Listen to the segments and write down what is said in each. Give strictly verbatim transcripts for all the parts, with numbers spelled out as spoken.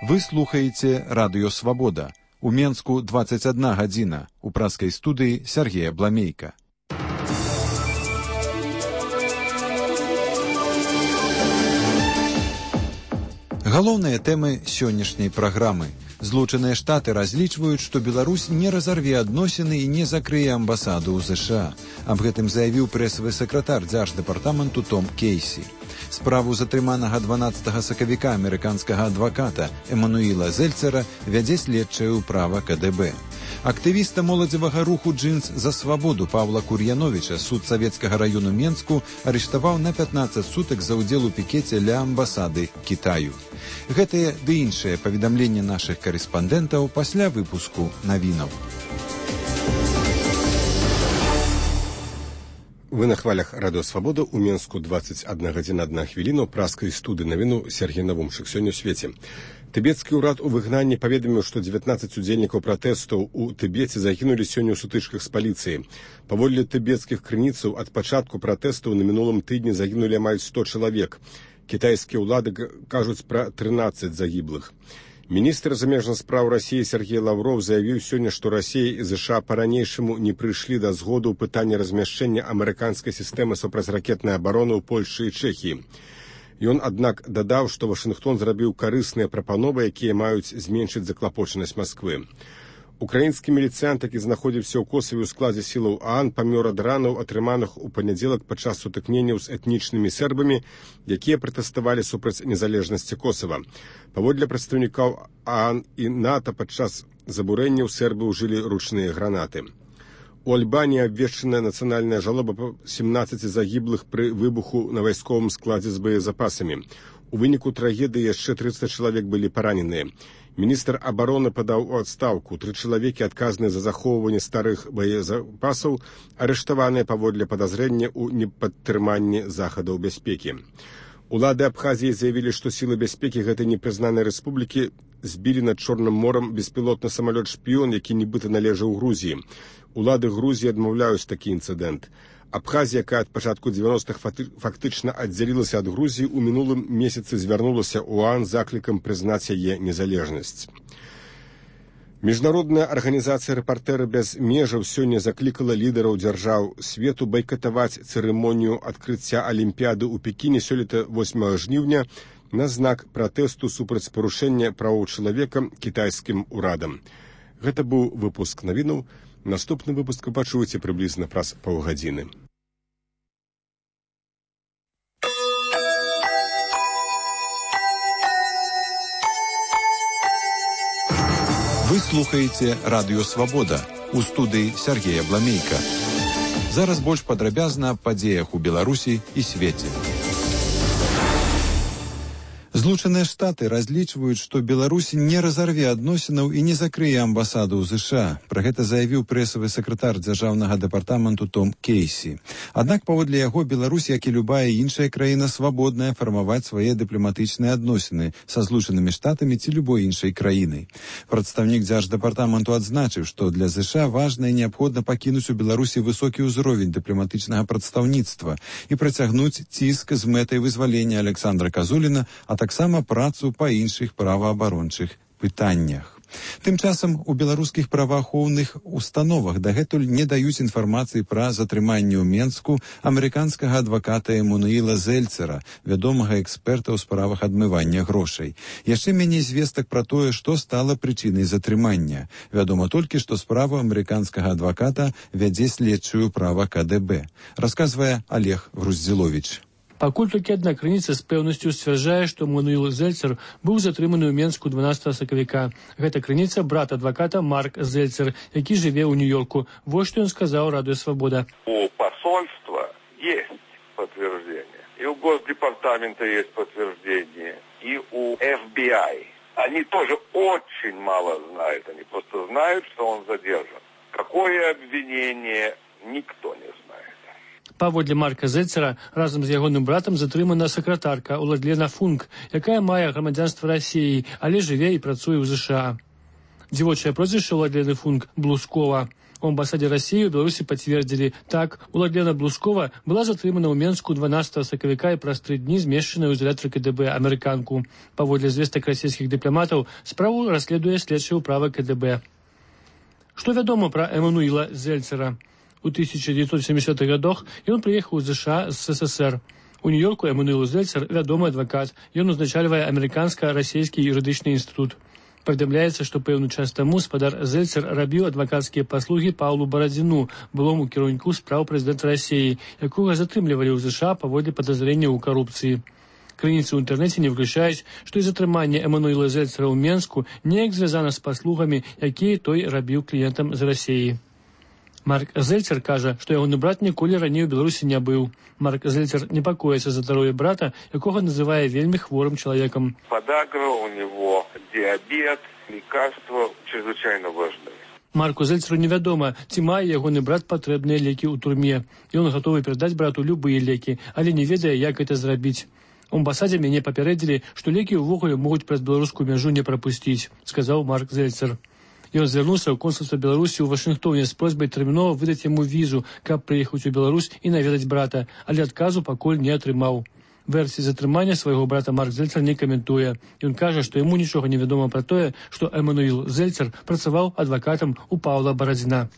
Вы слухаеце радыё «Свабода». У Менску дваццаць адна гадзіна. У праскай студыі Сергея Бламейка. Галоўныя тэмы сённяшняй праграмы. Злучаныя Штаты разлічваюць, што Беларусь не разарве адносіны і не закрые амбасаду ў ЗША. Аб гэтым заявіў прэсавы сакратар дзярждэпартаменту Том Кейсі. Справу затрыманага дванаццатага сакавіка амерыканскага адваката Эмануіла Зельцера вядзе следчае ўправа ка дэ бэ. Актывіста моладзевага руху «Джинс за свабоду» Павла Кур'яновіча суд Савецкага району Менску арыштаваў на пятнаццаць сутак за ўдзел у пікеце ля амбасады Кітаю. Гэтыя ды іншыя паведамленні нашых карэспандэнтаў пасля выпуску навінаў. Вы на хвалях радыё «Свабода», у Менску дваццаць адна гадзіна адна хвіліна, праскай студыі навіну Сергей Навумчык. Сёння ў свеце. Тыбецкі ўрад у выгнанні паведаміў, што дзевятнаццаць удзельнікаў пратэстаў у Тыбеце загінулі сёння ў сутычках з паліцыяй. Паводле тыбецкіх крыніцаў, ад пачатку пратэстаў на мінулым тыдні загінулі амаль сто чалавек. Кітайскія ўлады кажуць пра трынаццаць загіблых. Міністр замежных спраў Расіі Сергей Лавров заявіў сёння, што Расія і ЗША па-ранейшаму не прыйшлі да згоду ў пытанні размяшчэння амерыканскай сістэмы супрацьракетнай абароны ў Польшы і Чэхіі. Ён, аднак, дадаў, што Вашынгтон зрабіў карысныя прапановы, якія маюць зменшыць заклапочанасць Масквы. Украінскі міліцыянт, які знаходзіўся ў Косаве ў складзе сілаў ААН, памёр ад ранаў, атрыманых у панядзелак падчас сутыкненняў з этнічнымі сербамі, якія пратэставалі супраць незалежнасці Косава. Паводле прадстаўнікаў ААН і НАТО падчас забурэнняў сербы ўжылі ручныя гранаты. У Альбаніі абвешчаная нацыянальная жалоба па сямнаццаці загіблых пры выбуху на вайсковым складзе з боезапасамі. У выніку трагедыі яшчэ трыццаць чалавек былі параненыя. Міністр абароны падаў у адстаўку. Тры чалавекі, адказныя за захоўванне старых боезапасаў, арыштаваныя паводле падазрення ў непадтрыманні захадаў бяспекі. Улады Абхазіі заявілі, што сілы бяспекі гэтай непрызнанай рэспублікі збілі над Чорным морам беспілотны самалёт-шпіён, які нібыта належаў Грузіі. Улады Грузіі адмаўляюць такі інцыдэнт. Абхазія, якая ад пачатку дзевяностых фактычна аддзялілася ад Грузіі, у мінулым месяцы звярнулася ў ААН з заклікам прызнаць яе незалежнасць. Міжнародная арганізацыя «Рэпартэры без межаў» сёння заклікала лідараў дзяржаў свету байкатаваць цырымонію адкрыцця Алімпіяды ў Пекіне сёлета восьмага жніўня на знак пратэсту супраць парушэння правоў чалавека кітайскім урадам. Гэта быў выпуск навінаў. Наступны выпуск вы пачуеце прыблізна праз паўгадзіны. Вы слухаеце радыё «Свабода». У студыі Сергея Бламейка. Зараз больш падрабязна аб падзеях у Беларусі і свеце. Злучаныя Штаты разлічваюць, што Беларусь не разарве адносінаў і не закрые амбасаду ў ЗША. Пра гэта заявіў прэсавы сакратар дзяржаўнага дэпартаменту Том Кейсі. Аднак, паводле яго, Беларусь, як і любая іншая краіна, свабодная фармаваць свае дыпламатычныя адносіны са Злучанымі Штатамі ці любой іншай краінай. Прадстаўнік дзярждэпартаменту адзначыў, што для ЗША важна і неабходна пакінуць у Беларусі высокі ўзровень дыпламатычнага прадстаўніцтва і працягнуць ціск з мэтай вызвалення Александра Казуліна, а таксама працу па іншых праваабарончых пытаннях. Тым часам у беларускіх праваахоўных установах дагэтуль не даюць інфармацыі пра затрыманне ў Менску амерыканскага адваката Эмануіла Зельцера, вядомага эксперта ў справах адмывання грошай. Яшчэ меней звестак пра тое, што стала прычынай затрымання. Вядома толькі, што справу амерыканскага адваката вядзе следчую ўправа ка дэ бэ. Расказвае Олег Груздзіловіч. Пакуль толькі адна крыніца з пэўнасцю сцвярджае, што Эмануіл Зельцер быў затрыманы ў Менску дванаццатага сакавіка. Гэта крыніца брат адваката Марк Зельцер, які жыве ў Нью-Йорку. Вот что он сказал радио «Свобода». У посольства есть подтверждение, и у Госдепартамента есть подтверждение, и у эф би ай. Они тоже очень мало знают, они просто знают, что он задержан. Какое обвинение, никто не знает. Паводле Марка Зельцера разам з ягоным братам затрымана сакратарка Уладлена Функ, якая мае грамадзянства Расіі, але жыве і працуе ў ЗША. Дзівочае прозвішча Уладлены Функ – Блускова. У амбасаде России в Беларуси подтвердили, так, Уладлена Блускова была затрымана ў Менску дванаццатага сакавіка і праз тры дні змешчаная ў изолятор КДБ амерыканку. Паводле звестак расійскіх дыпламатаў, справу расследуе следчая ўправа КДБ. Што вядома пра Эммануила Зельцера? У тысяча девятьсот семидесятых годах ён прыехаў з США з СССР. У Нью-Йорку Эммануил Зельцер вядомы адвакат. Ён узначальвае амерыканска-расійскі юрыдычны інстытут. Паведамляецца, што пэўны час таму спадар Зельцер рабіў адвакацкія паслугі Паўлу Барадзіну, былому кіраўніку спраў прэзідэнта Расіі, якога затрымлівалі ў ЗША паводле падазрэнняў у карупцыі. Крыніцы ў інтэрнэце не выключаюць, што і затрыманне Эммануила Зельцера ў Менску неяк звязана з паслугамі, якія той рабіў кліентам з Расіі. Марк Зельцер кажа, што ягоны брат ніколі раней у Беларусі не быў. Марк Зельцер непакоіцца за здароўе брата, якога называе вельмі хворым чалавекам. Подагра у него, диабет, лекарства чрезвычайно важны. Марку Зельцеру невядома, ці мае ягоны брат патрэбныя лекі ў турме. Ён гатовы перадаць брату любыя лекі, але не ведае, як гэта зрабіць. У амбасадзе мяне папярэдзілі, што лекі ўвогуле могуць праз беларускую мяжу не прапусціць, сказаў Марк Зельцер. Ён звярнуўся ў консульства Беларусі ў Вашынгтоне з просьбай тэрмінова выдаць яму візу, каб прыехаць у Беларусь і наведаць брата, але адказу пакуль не атрымаў. Версіі затрымання свайго брата Марк Зельцер не каментуе. Ён кажа, што яму нічога не вядома пра тое, што Эммануил Зельцер працаваў адвакатам у Паўла Барадзіна.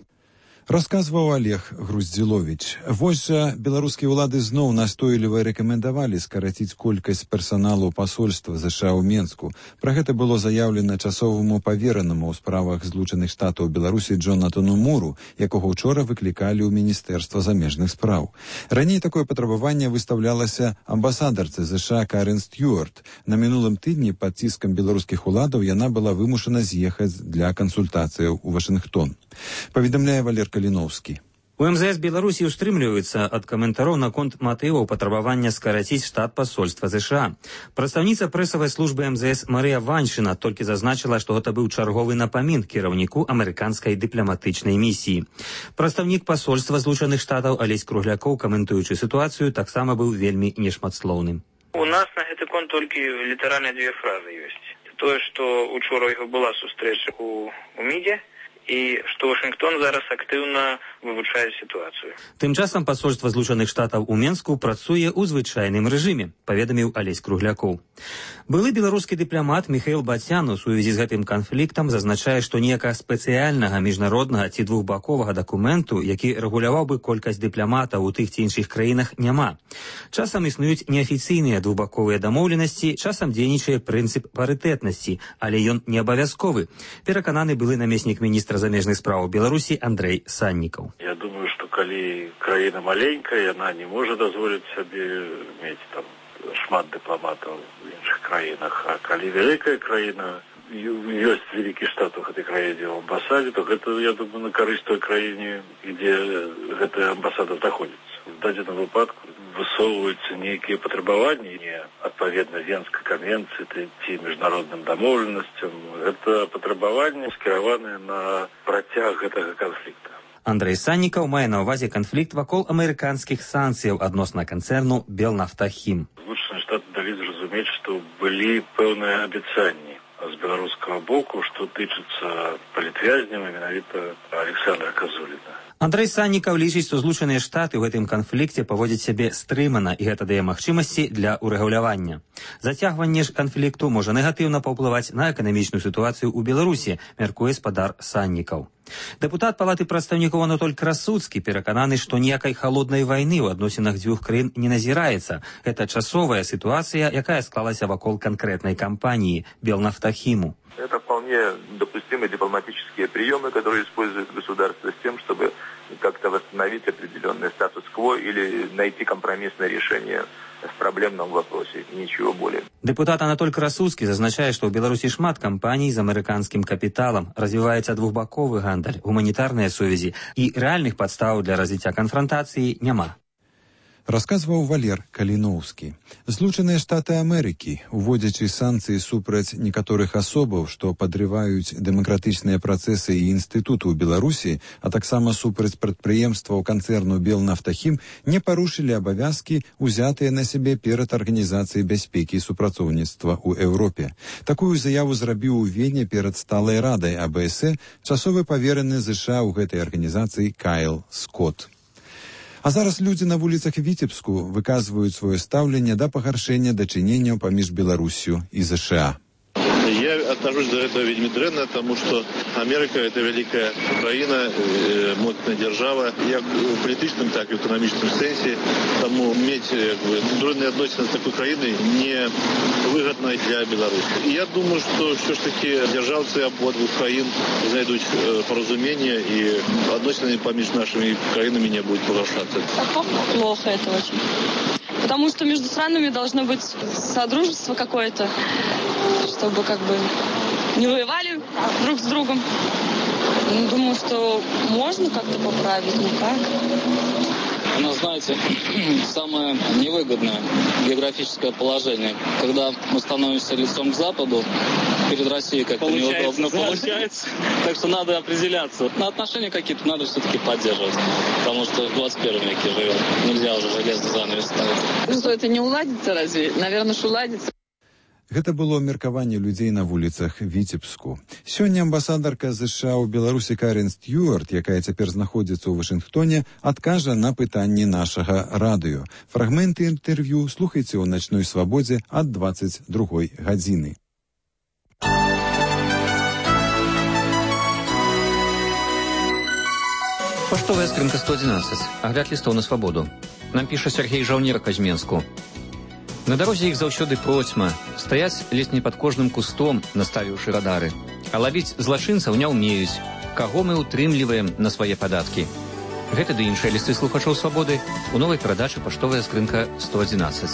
Расказваў Олег Груздзіловіч. Вось жа беларускія ўлады зноў настойліва рэкамендавалі скараціць колькасць персаналу пасольства ЗША ў Менску. Пра гэта было заяўлена часоваму паверанаму ў справах Злучаных Штатаў Беларусі Джонатану Муру, якога ўчора выклікалі ў Міністэрства замежных спраў. Раней такое патрабаванне выстаўлялася амбасадарцы ЗША Карен Стюарт. На мінулым тыдні пад ціскам беларускіх уладаў яна была вымушана з'ехаць для кансультацыяў у Вашынгтон. Паведамляе Валер Каліноўскі. У МЗС Беларусі ўстрымліваюцца ад каментараў наконт матываў патрабавання скараціць штат пасольства ЗША. Прадстаўніца прэсавай службы МЗС Марыя Ваншына толькі зазначыла, што гэта быў чарговы напамін кіраўніку амерыканскай дыпламатычнай місіі. Прадстаўнік пасольства Злучаных Штатаў Алесь Круглякоў, каментуючы сітуацыю, таксама быў вельмі нешматслоўным. У нас на гэты конт толькі літаральна дзве фразы ёсць. Тое, што учора ў яго была сустрэча у, у МІДзе, і што Вашынгтон зараз актыўна вывучае сітуацыю. Тым часам пасольства Злучаных Штатаў у Менску працуе ў звычайным рэжыме, паведаміў Алесь Круглякоў. Былы беларускі дыпламат Міхаіл Бацян у сувязі з гэтым канфліктам зазначае, што ніякага спецыяльнага міжнароднага ці двухбаковага дакументу, які рэгуляваў бы колькасць дыпламатаў у тых ці іншых краінах, няма. Часам існуюць неафіцыйныя двухбаковыя дамоўленасці, часам дзейнічае прынцып парытэтнасці, але ён не абавязковы, перакананы былы намеснік міністра замежных спраў Беларусі Андрэй Саннікаў. Я думаю, што калі краіна маленькая, яна не можа дазволіць сабе мець там шмат дыпламатаў в іншых краінах, а калі вялікая краіна, ёсць вялікі штат у гэтай краіне ў амбасадзе, то гэта, я думаю, на карысць той краіне, дзе гэтая амбасада знаходзіцца. В дадзеным выпадку высоўваюцца нейкія патрабаванні не адпаведна Венскай канвенцыі ці міжнародным дамоўленасцям. Гэта патрабаванні скіраваныя на працяг гэтага канфлікта. Андрэй Саннікаў мае на ўвазе канфлікт вакол амерыканскіх санкцыяў адносна канцэрну Белнафтахім. Злучаныя Штаты далі зразумець, што былі пэўныя абяцанні з беларускага боку, што тычыцца палітвязняў, менавіта Александра Казуліна. Андрэй Саннікаў лічыць, што Злучаныя Штаты ў гэтым канфлікце паводзяць сябе стрымана, і гэта дае магчымасці для ўрэгулявання. Зацягванне ж канфлікту можа негатыўна паўплываць на эканамічную сітуацыю ў Беларусі, мяркуе спадар Саннікаў. Дэпутат Палаты прадстаўнікоў Анатоль Красуцкі перакананы, што ніякай халоднай вайны ў адносінах дзвюх краін не назіраецца. Гэта часовая сітуацыя, якая склалася вакол канкрэтнай кампаніі Белнафтахіму. Это вполне допустимые дипломатические приемы, которые использует государство с тем, чтобы как-то восстановить определенный статус-кво или найти компромиссное решение в проблемном вопросе. Ничего более. Депутат Анатоль Красуцкі зазначае, што ў Беларусі шмат кампаній з амерыканскім капіталам, развіваецца двухбаковы гандаль, гуманітарныя сувязі і рэальных падстаў для развіцця канфрантацыі няма. Расказваў Валер Каліноўскі. Злучаныя Штаты Амерыкі, уводзячы санкцыі супраць некаторых асобаў, што падрываюць дэмакратычныя працэсы і інстытуты ў Беларусі, а таксама супраць прадпрыемстваў канцэрну «Белнафтахім», не парушылі абавязкі, узятыя на сябе перад Арганізацыяй бяспекі і супрацоўніцтва ў Еўропе. Такую заяву зрабіў у Вене перад сталай радай А Б С часовы павераны ЗША ў гэтай арганізацыі Кайл Скотт. А зараз людзі на вуліцах Віцебску выказваюць сваё стаўленне да пагаршэння дачыненняў паміж Беларусью і ЗША. Я отношусь до этого вельми дрэнна, потому что Америка – это великая Украина, э, мощная держава, як в политическом, так и в экономическом сенсе. Тому иметь дрэнные отношения с такой Украиной невыгодно для Беларуси. И я думаю, что все ж таки державцы обоих Украин знайдут э, поразумение, и отношения поміж нашими краинами не будут погашаться. Плохо это очень. Потому что между странами должно быть содружество какое-то, чтобы как бы не воевали друг с другом. Думаю, что можно как-то поправить, но как? Но, знаете, самое невыгодное географическое положение, когда мы становимся лицом к Западу, перед Россией как-то получается, неудобно да? получается. Так что надо определяться. На отношения какие-то надо все-таки поддерживать, потому что в двадцать первом веке живем. Нельзя уже железный занавес ставить. Ну что, это не уладится разве? Наверное, что уладится. Гэта было меркаванне людзей на вуліцах Віцебску. Сёння амбасадарка ЗША ў Беларусі Карен Стюарт, якая цяпер знаходзіцца ў Вашынгтоне, адкажа на пытанні нашага радыё. Фрагменты інтэрв'ю слухайце ў начной свабодзе ад двадцаць другой гадзіны. Паштовая скрынка сто одиннадцать. Агляд лістоў на свабоду. Нам піша Сергей Жаўнер Казьменску. На дарозе іх заўсёды процьма, стаяць ледзь не пад кожным кустом, наставіўшы радары. А лавіць злачынцаў не ўмеюць, каго мы ўтрымліваем на свае падаткі. Гэта ды іншыя лісты слухачоў свабоды у новай перадачы «Паштовая скрынка сто одиннадцать».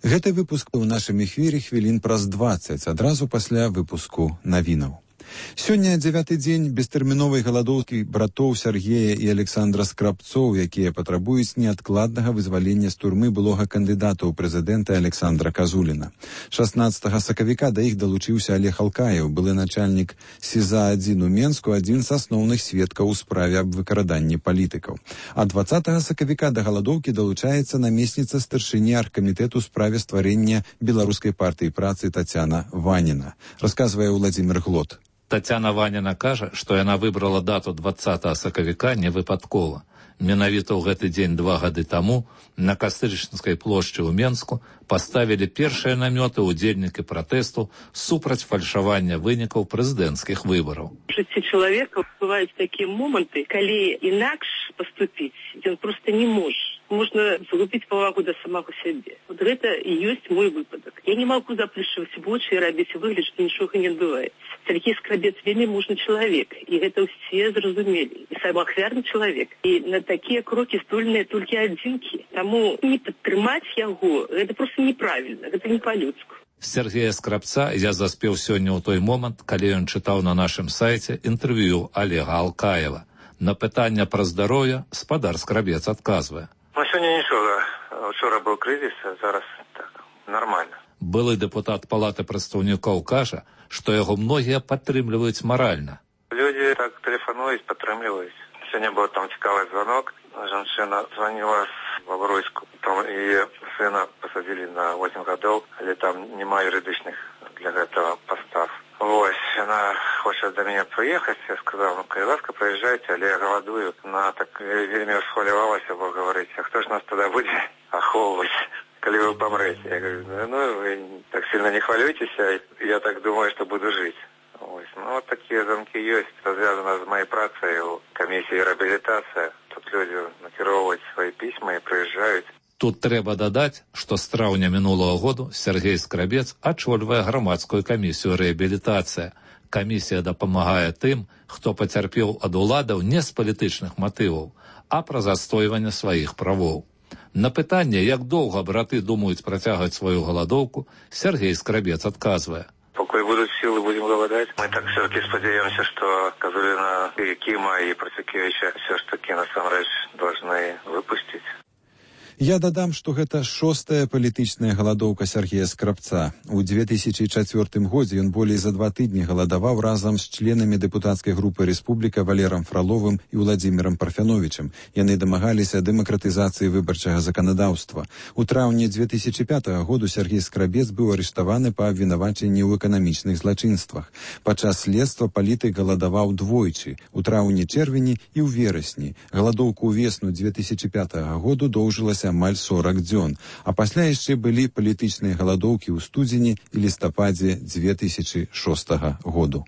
Гэты выпуск у нашым эфіры хвілін праз дваццаць, адразу пасля выпуску навінаў. Сёння дзявяты дзень бестэрміновай галадоўкі братоў Сергея і Александра Скрабцоў, якія патрабуюць неадкладнага вызвалення з турмы былога кандыдата ў прэзідэнта Александра Казуліна. шаснаццатага сакавіка да іх далучыўся Олег Алкаев, былы начальнік СІЗА адзін у Менску, адзін з асноўных сведкаў у справе аб выкраданні палітыкаў. А дваццатага сакавіка да галадоўкі далучаецца намесніца старшыні аргкамітэту ў справе стварэння беларускай партыі працы Тацяна Ваніна. Расказвае Владзімир Глот. Тацяна Ваніна кажа, што яна выбрала дату дваццатага сакавіка не выпадкова. Менавіта ў гэты дзень два гады таму на Кастрычніцкай плошчы ў Менску паставілі першыя намёты ўдзельнікі пратэсту супраць фальшавання вынікаў прэзідэнцкіх выбараў. У жыцці чалавека бываюць такія моманты, калі інакш паступіць ён проста не можа. Можна згубіць павагу да самого сябе. Вот гэта і ёсць мой выпадак. Я не магу заплюшчваць вочы і рабіць выгляд, што нічога не адбываецца. Сергей Скрабец вельмі мужны чалавек, і гэта ўсе зразумелі. І самаахвярны чалавек. І на такія крокі здольныя толькі адзінкі. Таму не падтрымаць яго, гэта проста неправільна, гэта не па-людску. Сергея Скрабца я заспеў сёння ў той момант, калі ён чытаў на нашым сайце інтэрв'ю Олега Алкаева. На пытанне пра здароўе спадар Скрабец адказвае. Ну, сёння нічога. Учора быў крызіс, а зараз так, нармальна. Былы дэпутат Палаты прадстаўнікоў кажа, што яго многія падтрымліваюць маральна. Людзі так тэлефануюць, падтрымліваюць. Сёння быў там цікавы званок. Жанчына званіла з Бабруйску. Там яе сына пасадзілі на восемь гадоў, але там няма юрыдычных для гэтага пастав. Вось, яна хоча да мяне прыехаць, я сказаў, ну, калі ласка, прыязджайце, але я галадую. Она так вельмі расхвалявалася, бо говорить, а хто ж нас тады будзе ахоўваць, калі вы памрэце? Я говорю, ну, вы так сильно не хвалюйтеся, я так думаю, што буду жыць. Ось, ну, вот такія замкі ёсць, звязана з маёй працай у камісіі рэабілітацыя. Тут людзі накіроўваюць свае пісьмы і прыязджаюць. Тут трэба дадаць, што з траўня мінулага году Сергей Скрабец ачольвае грамадскую камісію рэабілітацыя. Камісія дапамагае тым, хто пацярпеў ад уладаў не з палітычных матываў, а пра застойванне сваіх правоў. На пытанне, як доўга браты думаюць працягваць сваю галадоўку, Сергей Скрабец адказвае. Пакуль будуць сілы, будзем галадаць. Мы так все-таки сподеемся, что Козулина, и Кима, и Процюкевича все ж таки насамрэч должны выпустить. Я дадам, што гэта шостая палітычная галадоўка Сергея Скрабца. У две тысячы чацвёртым годзе ён болей за два тыдні галадаваў разам з членамі дэпутацкай групы «Рэспубліка» Валерам Фроловым і Владзімірам Парфяновічам. Яны дамагаліся дэмакратызацыі выбарчага заканадаўства. У траўні две тысячы пятага году Сергей Скрабец быў арыштаваны па абвінавачанні ў эканамічных злачынствах. Падчас следства палітык галадаваў двойчы, у траўні-чэрвені і ў верасні. Галадоўку ўвесну две тысячы пятага году доўжылася амаль сорок дзён, а пасля яшчэ былі палітычныя галадоўкі ў студзені і лістападзе две тысячы шостага году.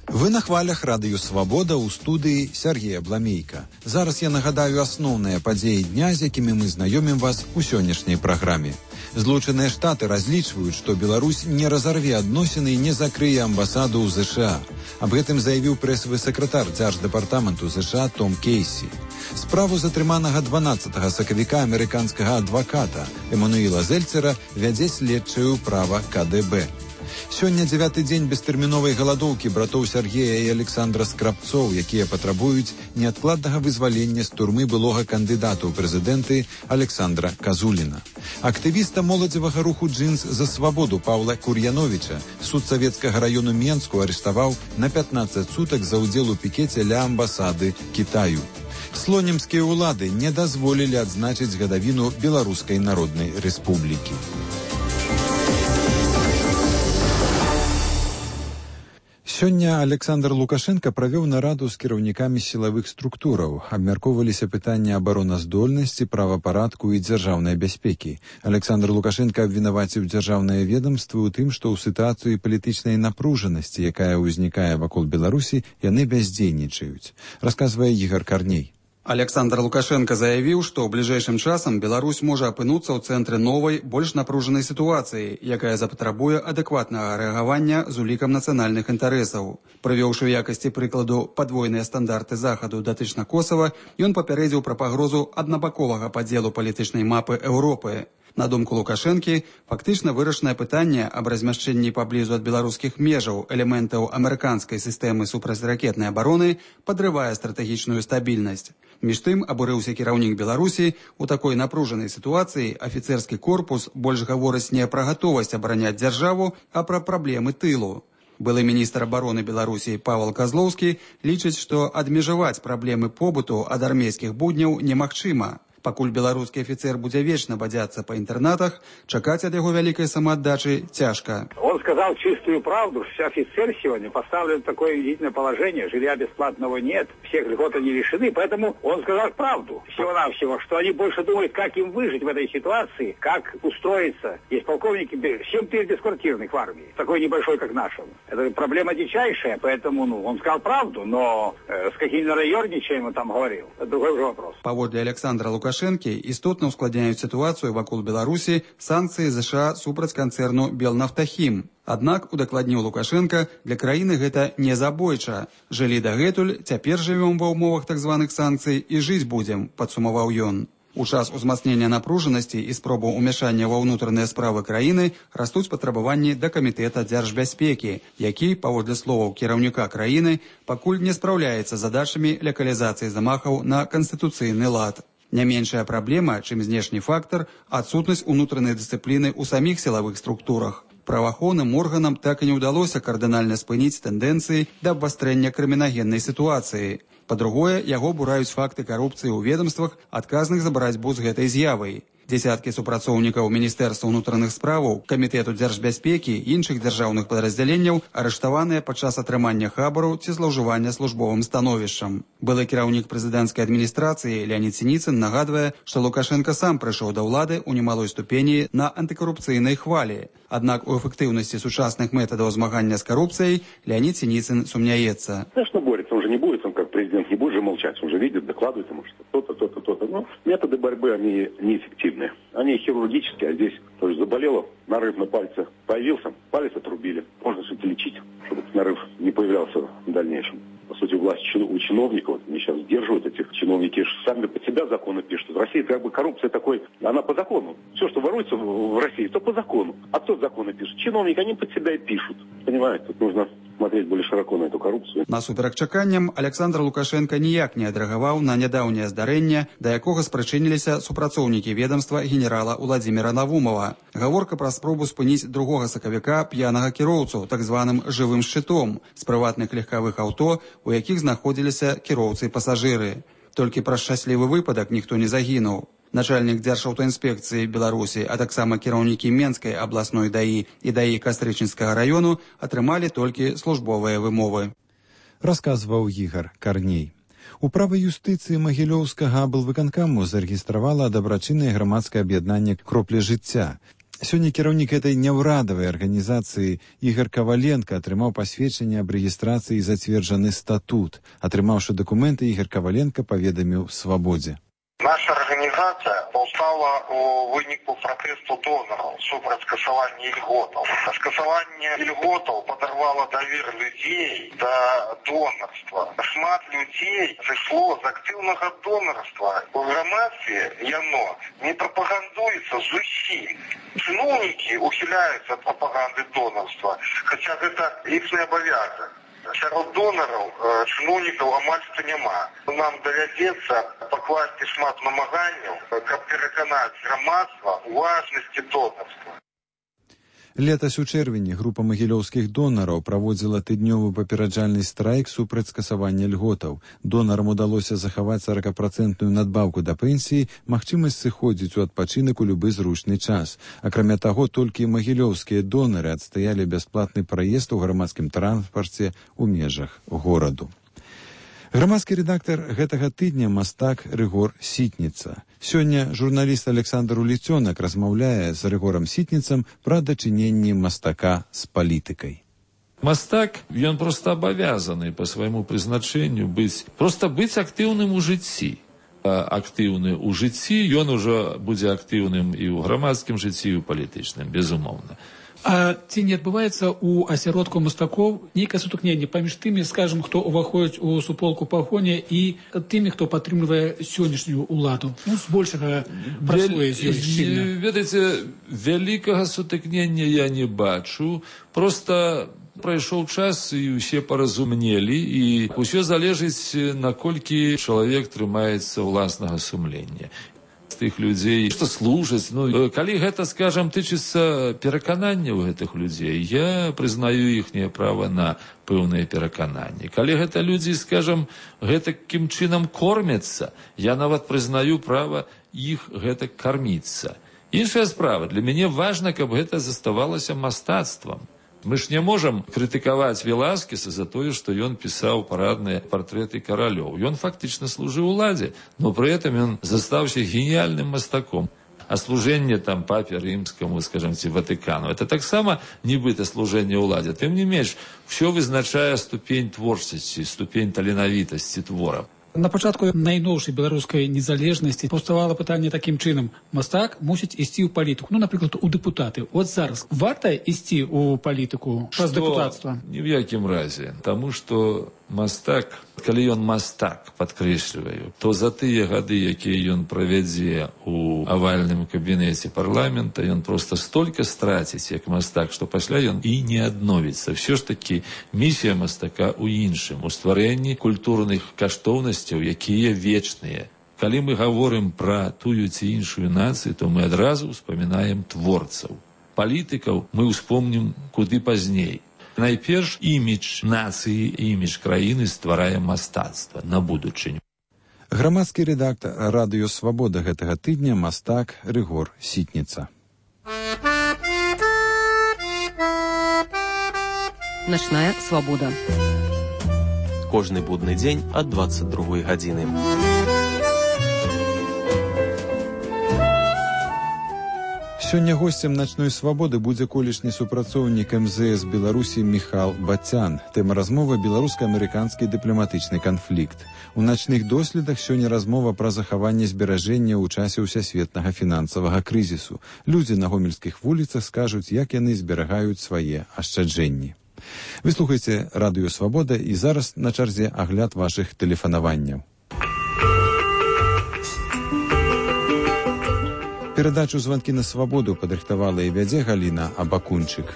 Вы на хвалях радыё «Свабода» ў студыі Сергея Бламейка. Зараз я нагадаю асноўныя падзеі дня, з якімі мы знаёмім вас у сённяшняй праграме. Злучаныя Штаты разлічваюць, што Беларусь не разарве адносіны і не закрые амбасаду ў ЗША. Аб гэтым заявіў прэсавы сакратар дзярждэпартаменту ЗША Том Кейсі. Справу затрыманага дванаццатага сакавіка амерыканскага адваката Эмануіла Зельцера вядзе следчае ўправа ка дэ бэ. Сёння дзявяты дзень бестэрміновай галадоўкі братоў Сергея і Александра Скрабцоў, якія патрабуюць неадкладнага вызвалення з турмы былога кандыдата ў прэзідэнты Александра Казуліна. Актывіста моладзевага руху «Джинс за свабоду» Паўла Кур'яновіча суд савецкага раёну Менску арыштаваў на пятнаццаць сутак за ўдзел у пікеце ля амбасады Кітаю. Слонімскія ўлады не дазволілі адзначыць гадавіну Беларускай Народнай Рэспублікі. Сёння Александр Лукашенко правёў нараду з кіраўнікамі сілавых структураў. Абмяркоўваліся пытанні абароназдольнасці, правапарадку і дзяржаўнай бяспекі. Александр Лукашенко абвінаваціў дзяржаўныя ведамствы ў тым, што ў сітуацыі палітычнай напружанасці, якая ўзнікае вакол Беларусі, яны бяздзейнічаюць. Расказвае Ігор Карней. Александр Лукашенко заявіў, што ў бліжэйшым часам Беларусь можа апынуцца ў цэнтры новай, больш напружанай сітуацыі, якая запатрабуе адэкватнага рэагавання з улікам нацыянальных інтарэсаў. Прывёўшы ў якасці прыкладу падвойныя стандарты захаду датычна Косава, ён папярэдзіў пра пагрозу аднабаковага падзелу палітычнай мапы Еўропы. На думку Лукашэнкі, фактычна вырашанае пытанне аб размяшчэнні паблізу ад беларускіх межаў элементаў амерыканскай сістэмы супрацьракетнай абароны падрывае стратэгічную стабільнасць. Між тым, абурыўся кіраўнік Беларусі, у такой напружанай сітуацыі афіцэрскі корпус больш гаворыць не пра гатовасць абараняць дзяржаву, а пра праблемы тылу. Былы міністр абароны Беларусі Павел Козлоўскі лічыць, што адмежаваць праблемы побыту ад армейскіх будняў немагчыма. Пакуль беларускі афіцер будзе вечна бадзяцца па інтэрнатах, чакаць ад яго вялікай самааддачы цяжка. Он сказал чистую правду, что офицер сегодня поставлен в такое унизительное положение, жилья бесплатного нет, всех льгот они лишены, поэтому он сказал правду всего-навсего, что они больше думают, как им выжить в этой ситуации, как устроиться. Есть полковники семь тысяч бесквартирных в армии, такой небольшой, как наша. Это проблема дичайшая, поэтому ну, он сказал правду, но э, с каким нараёрничаем он там говорил, это другой уже вопрос. Паводле Александра Лукашэнкі істотна ускладняюць сітуацыю вакол Беларусі санкцыі ЗША супраць канцэрну «Белнафтахім». Аднак, удакладніў Лукашенко, для краіны гэта не забойча. Жылі дагэтуль, цяпер жывём ва ўмовах так званых санкцый і жыць будзем, падсумаваў ён. У час узмацнення напружанасці і спробу ўмяшання ва ўнутраныя справы краіны растуць патрабаванні да камітэта дзяржбяспекі, які, паводле словаў кіраўніка краіны, пакуль не спраўляецца задачамі легалізацыі замахаў на канстытуцыйны лад. Не меншая праблема, чым знешні фактар, адсутнасць унутранай дысцыпліны ў саміх сілавых структурах. Праваахоўным органам так і не ўдалося кардынальна спыніць тэндэнцыі да абвастрэння крымінагеннай сітуацыі. Па-другое, яго бураюць факты карупцыі ў ведамствах, адказных за барацьбу з гэтай з'явай. Дзесяткі супрацоўнікаў Міністэрства ўнутраных справаў, Камітэту дзяржбяспекі і іншых дзяржаўных падраздзяленняў арыштаваныя падчас атрымання хабару ці злоўжывання службовым становішчам. Былы кіраўнік прэзідэнцкай адміністрацыі Леонід Сініцын нагадвае, што Лукашенко сам прыйшоў да ўлады ў немалой ступені на антыкарупцыйнай хвалі. Аднак у эфектыўнасці сучасных метадаў змагання з карупцыяй Леонид Синицын сумняется. Конечно, борется. Он же не будет, он как президент не будет же молчать. Он же видит, докладывает ему, что то-то, то-то, то-то. Но методы борьбы, они неэффективны. Они хирургические, а здесь тоже заболело, нарыв на пальце появился, палец отрубили. Можно все-таки лечить, чтобы нарыв не появлялся в дальнейшем. сути, власть у чиновников. Они сейчас сдерживают этих чиновники, сами под себя законы пишут. В России как бы коррупция такой, она по закону. Все, что воруется в России, то по закону. А кто законы пишет? Чиновники, они под себя и пишут. Понимаете, тут нужно смотреть более широко на эту коррупцию. Насуперак чаканням, Александр Лукашенко ніяк не адрэагаваў на нядаўняе здарэнне, да якога спрычыніліся супрацоўнікі ведомства генерала Владимира Навумова. Гаворка пра спробу спыніць другога сакавіка п'янага кіроўцу, так званым жывым шчытом, з прыватных легкавых аўто, у якіх знаходзіліся кіроўцы і пасажыры. Толькі пра шчаслівы выпадак ніхто не загінуў. Начальнік Дзяржаўтаінспекцыі Беларусі, а таксама кіраўнікі Менскай абласной даі і даі Кастрычынскага раёну атрымалі толькі службовыя вымовы. Расказваў Ігар Карней. Управа юстыцыі Магілёўскага аблвыканкаму зарэгістравала дабрачыннае грамадскае аб'яднанне «Кроплі жыцця». Сёння кіраўнік этой няўрадавай арганізацыі Ігар Каваленка атрымаў пасведчанне аб рэгістрацыі і зацверджаны статут. Атрымаўшы дакументы, Ігар Каваленка паведаміў «Свабодзе». Наша организация повстала у вынику протесту доноров супраць скасования льготов. Скасование льготов подорвало доверие людей до донорства. Шмат людей зайшло з активного донорства. У громадстве яно не пропагандуется зусім. Чиновники ухиляются от пропаганды донорства, хотя это их обовязок. Сярод донораў чыноўнікаў амаль што няма. Нам давядзецца пакласці шмат намаганняў, каб пераканаць грамадства ў важнасці донарства. Летась у чэрвені група магілёўскіх донараў праводзіла тыднёвы папераджальны страйк супраць скасавання льготаў. Донарам удалося захаваць сорокапрацэнтную надбаўку да пенсіі, магчымасць сыходзіць у адпачынак у любы зручны час. Акрамя таго, толькі магілёўскія донары адстаялі бясплатны праезд у грамадскім транспарце ў межах гораду. Грамадскі рэдактар гэтага тыдня мастак Рыгор Сітніца. Сёння журналіст Александр Уліцёнак размаўляе з Рыгорам Сітніцам пра дачыненні мастака з палітыкай. Мастак, ён проста абавязаны па свайму прызначэнню быць, проста быць актыўным у жыцці. Актыўны ў жыцці, ён ужо будзе актыўным і ў грамадскім жыцці, і ў палітычным, безумоўна. А ці не адбываецца ў асяродку мастакоў нейкае сутыкненне паміж тымі, скажам, хто ўваходзіць у суполку пагоня і тымі, хто падтрымлівае сённяшнюю ўладу? Ну, збольшага працуе з ёй шчыльна. Ведаеце, вялікага сутыкнення я не бачу. Проста прайшоў час і ўсе паразумнелі, і ўсё залежыць, наколькі чалавек трымаецца ўласнага сумлення. Тых людзей, што служаць. Ну, калі гэта, скажам, тычыцца перакананняў гэтых людзей, я прызнаю іхняе права на пэўныя перакананні. Калі гэта людзі, скажам, гэтакім чынам кормяцца, я нават прызнаю права іх гэтак карміцца. Іншая справа, для мяне важна, каб гэта заставалася мастацтвам. Мы ж не можам крытыкаваць Веласкеса за тое, што ён пісаў парадныя партрэты каралёў. Ён фактычна служыў уладзе, но пры этом ён застаўся геніяльным мастаком. А служэнне там папе рымскаму, скажем, ці Ватыкану, это таксама нібыта служэнне ўладзе. Тым не менш, ўсё вызначае ступень творчасці, ступень таленавітасці твора. На пачатку найноўшай беларускай незалежнасці паўставала пытанне такім чынам. Мастак мусіць ісці ў палітыку, ну, напрыклад, у дэпутаты. От зараз варта ісці ў палітыку праз дэпутацтва? Ні в якім разе. Таму што мастак, калі ён мастак, падкрэсліваю, то за тыя гады, якія ён правядзе у авальным кабінеце парламента, ён проста столькі страціць, як мастак, што пасля ён і не адновіцца. Всё ж такі місія мастака ў іншым, у стварэнні культурных каштоўнасцяў, якія вечныя. Калі мы гаворым пра тую ці іншую нацыю, то мы адразу ўспамінаем творцаў. Палітыкаў мы ўспомнім куды пазней. Найперш імідж нацыі, імідж краіны стварае мастацтва на будучыню. Грамадскі рэдактар радыё «Свабода» гэтага тыдня мастак Рыгор Сітніца. Начная свабода. Кожны будны дзень ад дваццаць другой гадзіны. Сёння госцем «Начной свабоды» будзе колішні супрацоўнік эм зэ эс Беларусі Міхал Бацян. Тэма размовы – беларуска-амерыканскі дыпламатычны канфлікт. У начных доследах сёння размова пра захаванне зберажэння ў часе ўсясветнага фінансавага крызісу. Людзі на гомельскіх вуліцах скажуць, як яны зберагаюць свае ашчаджэнні. Вы слухаеце радыё Свабода і зараз на чарзе агляд вашых тэлефанаванняў. Перадачу «Звонки на свободу» падрыхтавала і вядзе Галіна Абакунчык.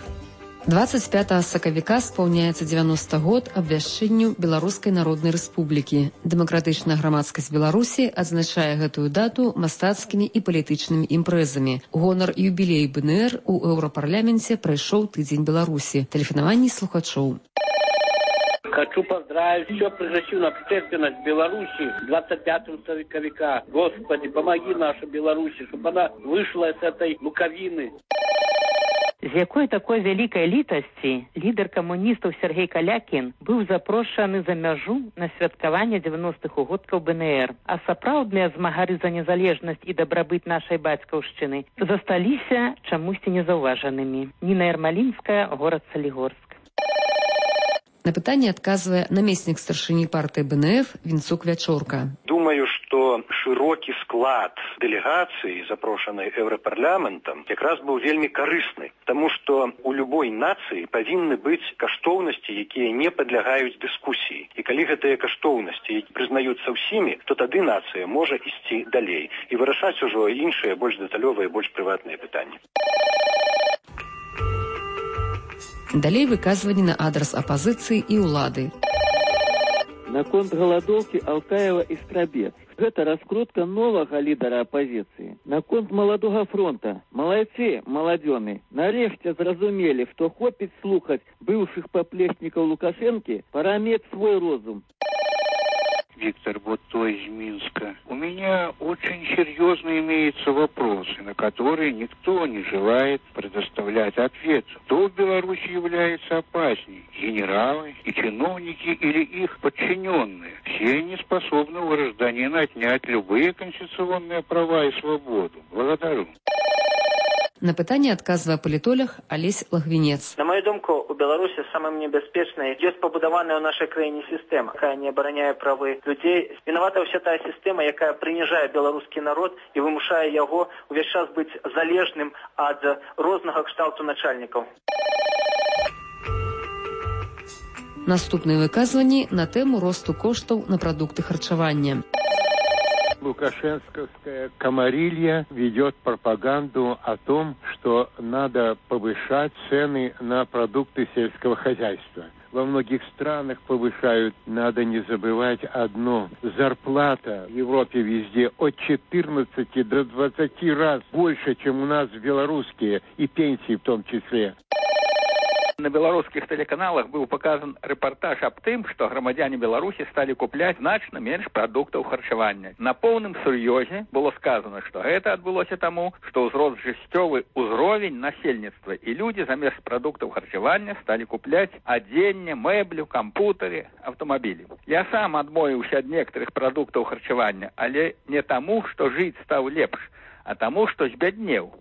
двадцать пятого сакавіка спаўняецца дзевяносты год абвяшчэнню Беларускай Народнай Рэспублікі. Дэмакратычная грамадскасць Беларусі адзначае гэтую дату мастацкімі і палітычнымі імпрэзамі. Гонар юбілей БНР у Еўрапарламенце прайшоў тыдзень Беларусі. Тэлефанаванні слухачоў. Хочу поздравить всю прогрессивную общественность Беларуси двадцать пятого сакавіка. Господи, помоги нашей Беларуси, чтобы она вышла с этой луковины. З якой такой вялікай літасці лідар камуністаў Сергей Калякін быў запрошаны за мяжу на святкаванне дзевяностых угодкаў БНР, а сапраўдныя змагары за незалежнасць і дабрабыт нашай бацькаўшчыны засталіся чамусьці незаўважанымі. Ніна Ярмалінская, горад Салігорск. На пытанне адказвае намеснік старшыні партыі БНФ Вінцук Вячорка. Думаю, что широкі склад дэлегацыі, запрошанай Еўрапарламентам, якраз быў вельмі карысны, таму што у любой нацыі павінны быць каштоўнасці, якія не падлягаюць дыскусіі. І калі гэтыя каштоўнасці прызнаюцца ўсімі, то тады нацыя можа ісці далей і вырашаць ужо іншыя, больш дэталёвыя, больш прыватныя пытанні. Далей выказванні на адрас апазіцыі і ўлады. Наконт галадоўкі Алтаева і Страбец. Гэта раскрутка новага лідара апазіцыі. Наконт маладога фронта. Малайцы, маладзёны, нарэшце зразумелі, што хопіць слухаць быўшых паплечнікаў Лукашэнкі, пора мець свой розум. Виктор Бутто из Минска. У меня очень серьезно имеются вопросы, на которые никто не желает предоставлять ответ. Кто в Беларуси является опасней? Генералы и чиновники или их подчиненные? Все они способны у гражданина отнять любые конституционные права и свободу. Благодарю. На пытанне адказвае палітолог Алесь Лагвінец. На мою думку, у Беларусі самым небяспечнай ёсць пабудаваная ў нашай краіне сістэма, якая не абараняе правы людзей. Вінавата ўся тая сістэма, якая прыніжае беларускі народ і вымушае яго увесь час быць залежным ад рознага кшталту начальнікаў. Наступныя выказванні на тэму росту коштаў на прадукты харчавання. Лукашенковская комарилья ведет пропаганду о том, что надо повышать цены на продукты сельского хозяйства. Во многих странах повышают, надо не забывать одно. Зарплата в Европе везде от четырнадцати до двадцати раз больше, чем у нас в белорусские, и пенсии в том числе. На беларускіх тэлеканалах быў паказан рэпартаж аб тым, што грамадзяне Беларусі сталі купляць значна менш прадуктаў харчавання. На поўным сур'ёзе было сказана, што гэта адбылося таму, што ўзрост жыццёвы ўзровень насельніцтва і людзі замест прадуктаў харчавання сталі купляць адзенне, мэблю, кампутары, аўтамабілі. Я сам адмовіўся ад некаторых прадуктаў харчавання, але не таму, што жыць стаў лепш, а таму, што збяднеў.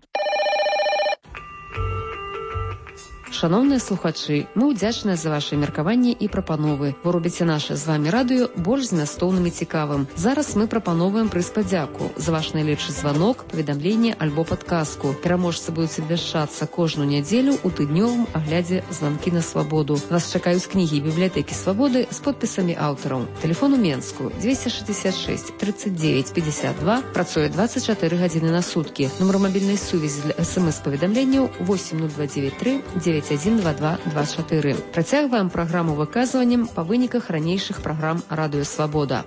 Шановныя слухачы, мы ўдзячныя за ваши меркаванні і прапановы. Вы робіце наше з вами радыё больш змястоўным і цікавым. Зараз мы прапановваем прыз падзяку за ваш найлепшы званок, паведамленне альбо падказку. Пераможцы будуць абвяшчацца кожную нядзелю ў тыднёвым аглядзе «Званкі на свабоду». Вас чакаюць кнігі бібліятэкі свабоды з подпісамі аўтараў. Тэлефон у Менску двести шестьдесят шесть тридцать девять пятьдесят два, працуе двадцать четыре гадзіны на суткі. Нумар мабільнай сувязі для эс-эм-эс-паведамленняў восемь ноль два девять три девять один два два два четыре. Працягваем праграму выказваннем па выніках ранейшых праграм радыё Свабода.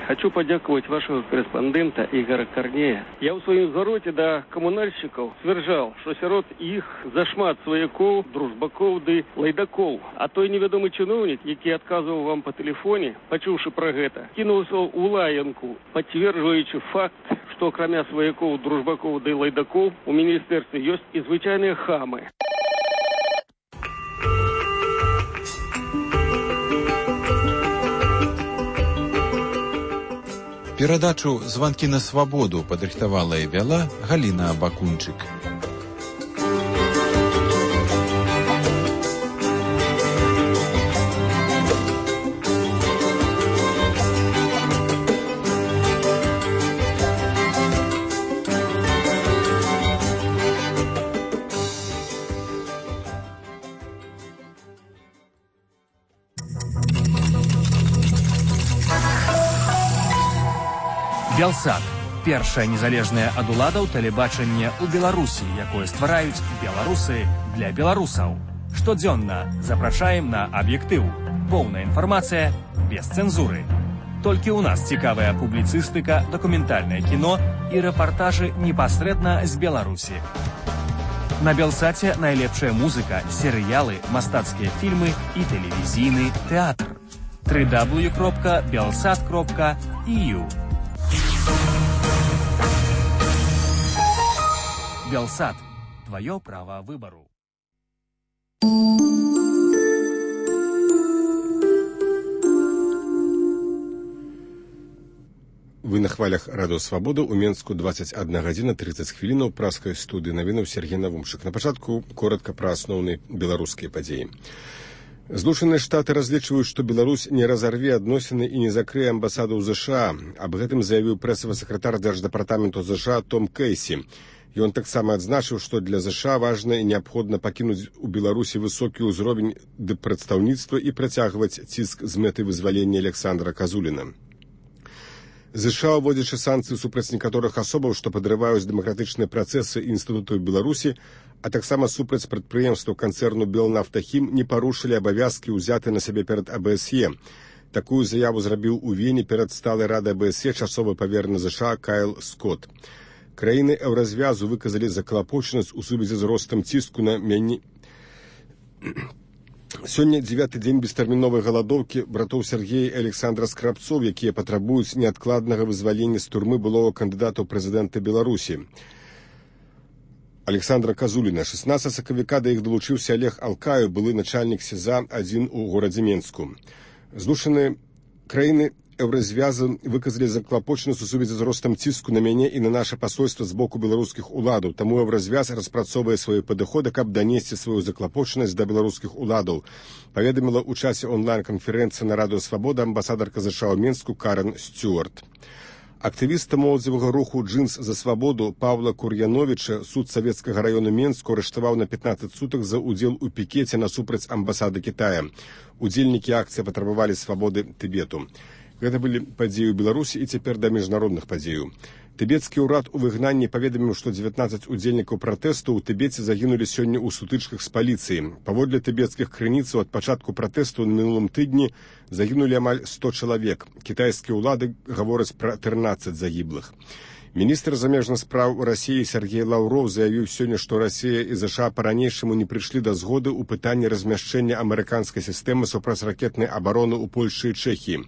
Хочу подякувати вашего корреспондента Игоря Корнея. Я у своем звороте до коммунальщиков стверджал, что сирот их зашмат свояков, дружбаков ды лайдаков. А той неведомый чиновник, який отказывал вам по телефоне, почувши про гэта, кинулся у лаянку, подтверждаючи факт, что кроме свояков, дружбаков ды лайдаков у министерстве есть и звычайные хамы. Перадачу «Звонки на свободу» падрыхтавала і вяла Галіна Абакунчык. Белсат. Першае незалежнае ад уладаў тэлебачанне ў Беларусі, якое ствараюць беларусы для беларусаў. Штодзённа запрашаем на аб'ектыў. Поўная інфармацыя без цэнзуры. Толькі ў нас цікавая публіцыстыка, дакументальнае кіно і рэпартажы непасрэдна з Беларусі. На Белсаце найлепшая музыка, серыялы, мастацкія фільмы і тэлевізійны тэатр. дабл ю дабл ю дабл ю кропка белсат кропка і ю. Белсат. Твое право выбору. Вы на хвалях Радыё Свабода. У Менску двадцать одна гадзіна тридцать хвілінаў. Праскай студыі навінаў Сергей Навумчык. На пачатку коротка пра асноўныя беларускія падзеі. Злучаныя Штаты разлічваюць, што Беларусь не разарве адносіны і не закрые амбасаду ў ЗША. Аб гэтым заявіў прэсавы сакратар дзярждапартаменту ЗША Том Кейсі. Ён таксама адзначыў, што для ЗША важна і неабходна пакінуць у Беларусі высокі ўзровень прадстаўніцтва і працягваць ціск з мэтай вызвалення Александра Казуліна. ЗША, уводзячы санкцыі супраць некаторых асобаў, што падрываюць дэмакратычныя працэсы інстытутаў Беларусі, а таксама супраць прадпрыемстваў канцэрну Белнафтахім, не парушылі абавязкі, ўзятыя на сябе перад АБСЕ. Такую заяву зрабіў у Вене перад сталай радай АБСЕ часовы паверны ЗША Кайл Скотт. Краіны еўразвязу выказалі заклапочанасць у сувязі з ростам ціску на мяне. Сёння дзевяты дзень бестэрміновай галадоўкі братоў Сергея і Александра Скрабцоў, якія патрабуюць неадкладнага вызвалення з турмы былога кандыдата ў прэзідэнты Беларусі Александра Казуліна. шестнадцатага сакавіка да іх далучыўся Олег Алкаю, былы начальнік СІЗА адзін у горадзе Менску. Злучаныя краіны еўразвязу выказалі заклапочанасць у сувязі з ростам ціску на мяне і на наша пасольства з боку беларускіх уладаў. Таму еўразвяз распрацоўвае свае падыходы, каб данесці сваю заклапочанасць да беларускіх уладаў. Паведаміла ў часе онлайн-канферэнцыі на Радыё Свабода амбасадарка ЗША ў Менску Карен Стюарт. Актывіста моладзевага руху «Джинс за свабоду» Павла Кур'яновіча суд савецкага раёну Менску арыштаваў на пятнаццаць сутак за ўдзел у пікеце насупраць амбасады Кітая. Удзельнікі акцыі патрабавалі свабоды Тыбету. Гэта былі падзеі ў Беларусі і цяпер да міжнародных падзеяў. Тыбецкі ўрад у выгнанні паведаміў, што дзевятнаццаць удзельнікаў пратэсту ў Тыбеце загінулі сёння ў сутычках з паліцыяй. Паводле тыбецкіх крыніцаў, ад пачатку пратэсту на мінулым тыдні загінулі амаль сто чалавек. Кітайскія ўлады гавораць пра трынаццаць загіблых. Міністр замежных спраў Расіі Сергей Лаўров заявіў сёння, што Расія і ЗША па-ранейшаму не прыйшлі да згоды ў пытанні размяшчэння амерыканскай сістэмы супрацьракетнай абароны ў Польшы і Чэхіі.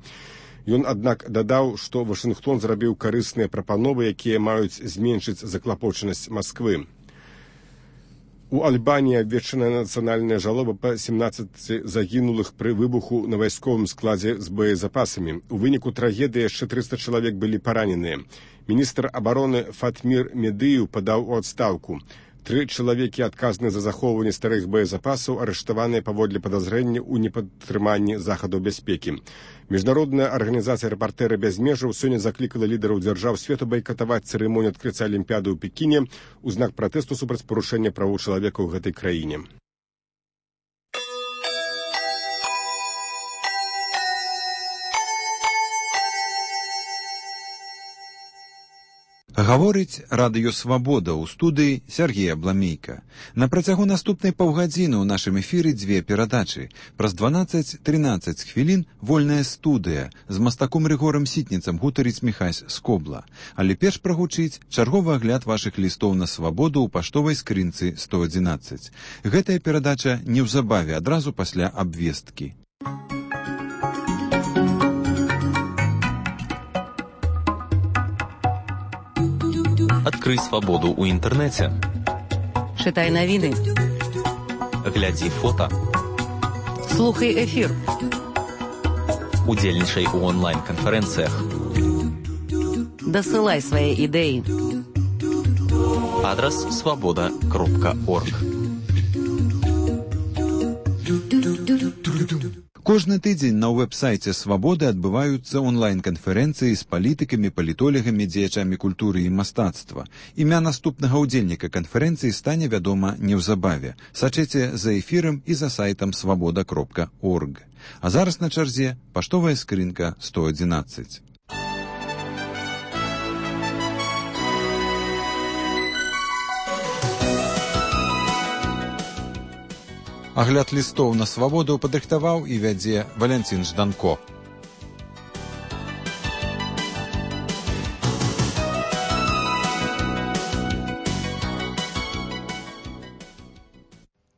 Ён, аднак, дадаў, што Вашынгтон зрабіў карысныя прапановы, якія маюць зменшыць заклапочанасць Масквы. У Альбаніі абвешчаная нацыянальная жалоба па семнаццаці загінулых пры выбуху на вайсковым складзе з боезапасамі. У выніку трагедыі яшчэ трыста чалавек былі параненыя. Міністр абароны Фатмір Медыеў падаў у адстаўку. Тры чалавекі, адказныя за захоўванне старых боезапасаў, арыштаваныя паводле падазрэння ў непатрыманні захадаў бяспекі. Міжнародная арганізацыя «Рэпартэры без межаў» сёння заклікала лідараў дзяржаў свету байкатаваць цырымонію адкрыцця Алімпіяды ў Пекіне ў знак пратэсту супраць парушэння правоў чалавека ў гэтай краіне. Гаворыць Радыё Свабода, ў студыі Сергей Абламейка. На працягу наступнай паўгадзіны ў нашым эфіры дзве перадачы. Праз дванаццаць трынаццаць хвілін вольная студыя з мастаком Рыгорам Сітніцам гутарыць Міхась Скобла. Але перш прагучыць чарговы агляд вашых лістоў на свабоду ў паштовай скрынцы сто адзінаццаць. Гэтая перадача неўзабаве, адразу пасля абвесткі. Адкрый свабоду ў інтэрнэце. Чытай навіны. Глядзі фота. Слухай эфір. Удзельнічай у онлайн-канферэнцыях. Дасылай свае ідэі. Адрас свабода кропка орг. Кожны тыдзень на вэб-сайце «Свабоды» адбываюцца онлайн-канферэнцыі з палітыкамі, палітолегамі, дзеячамі культуры і мастацтва. Імя наступнага ўдзельніка канферэнцыі стане вядома неўзабаве. Сачыце за эфірам і за сайтам свабода кропка орг. А зараз на чарзе паштовая скрынка сто адзінаццаць. Агляд лістоў на свабоду падрыхтаваў і вядзе Валянцін Жданко.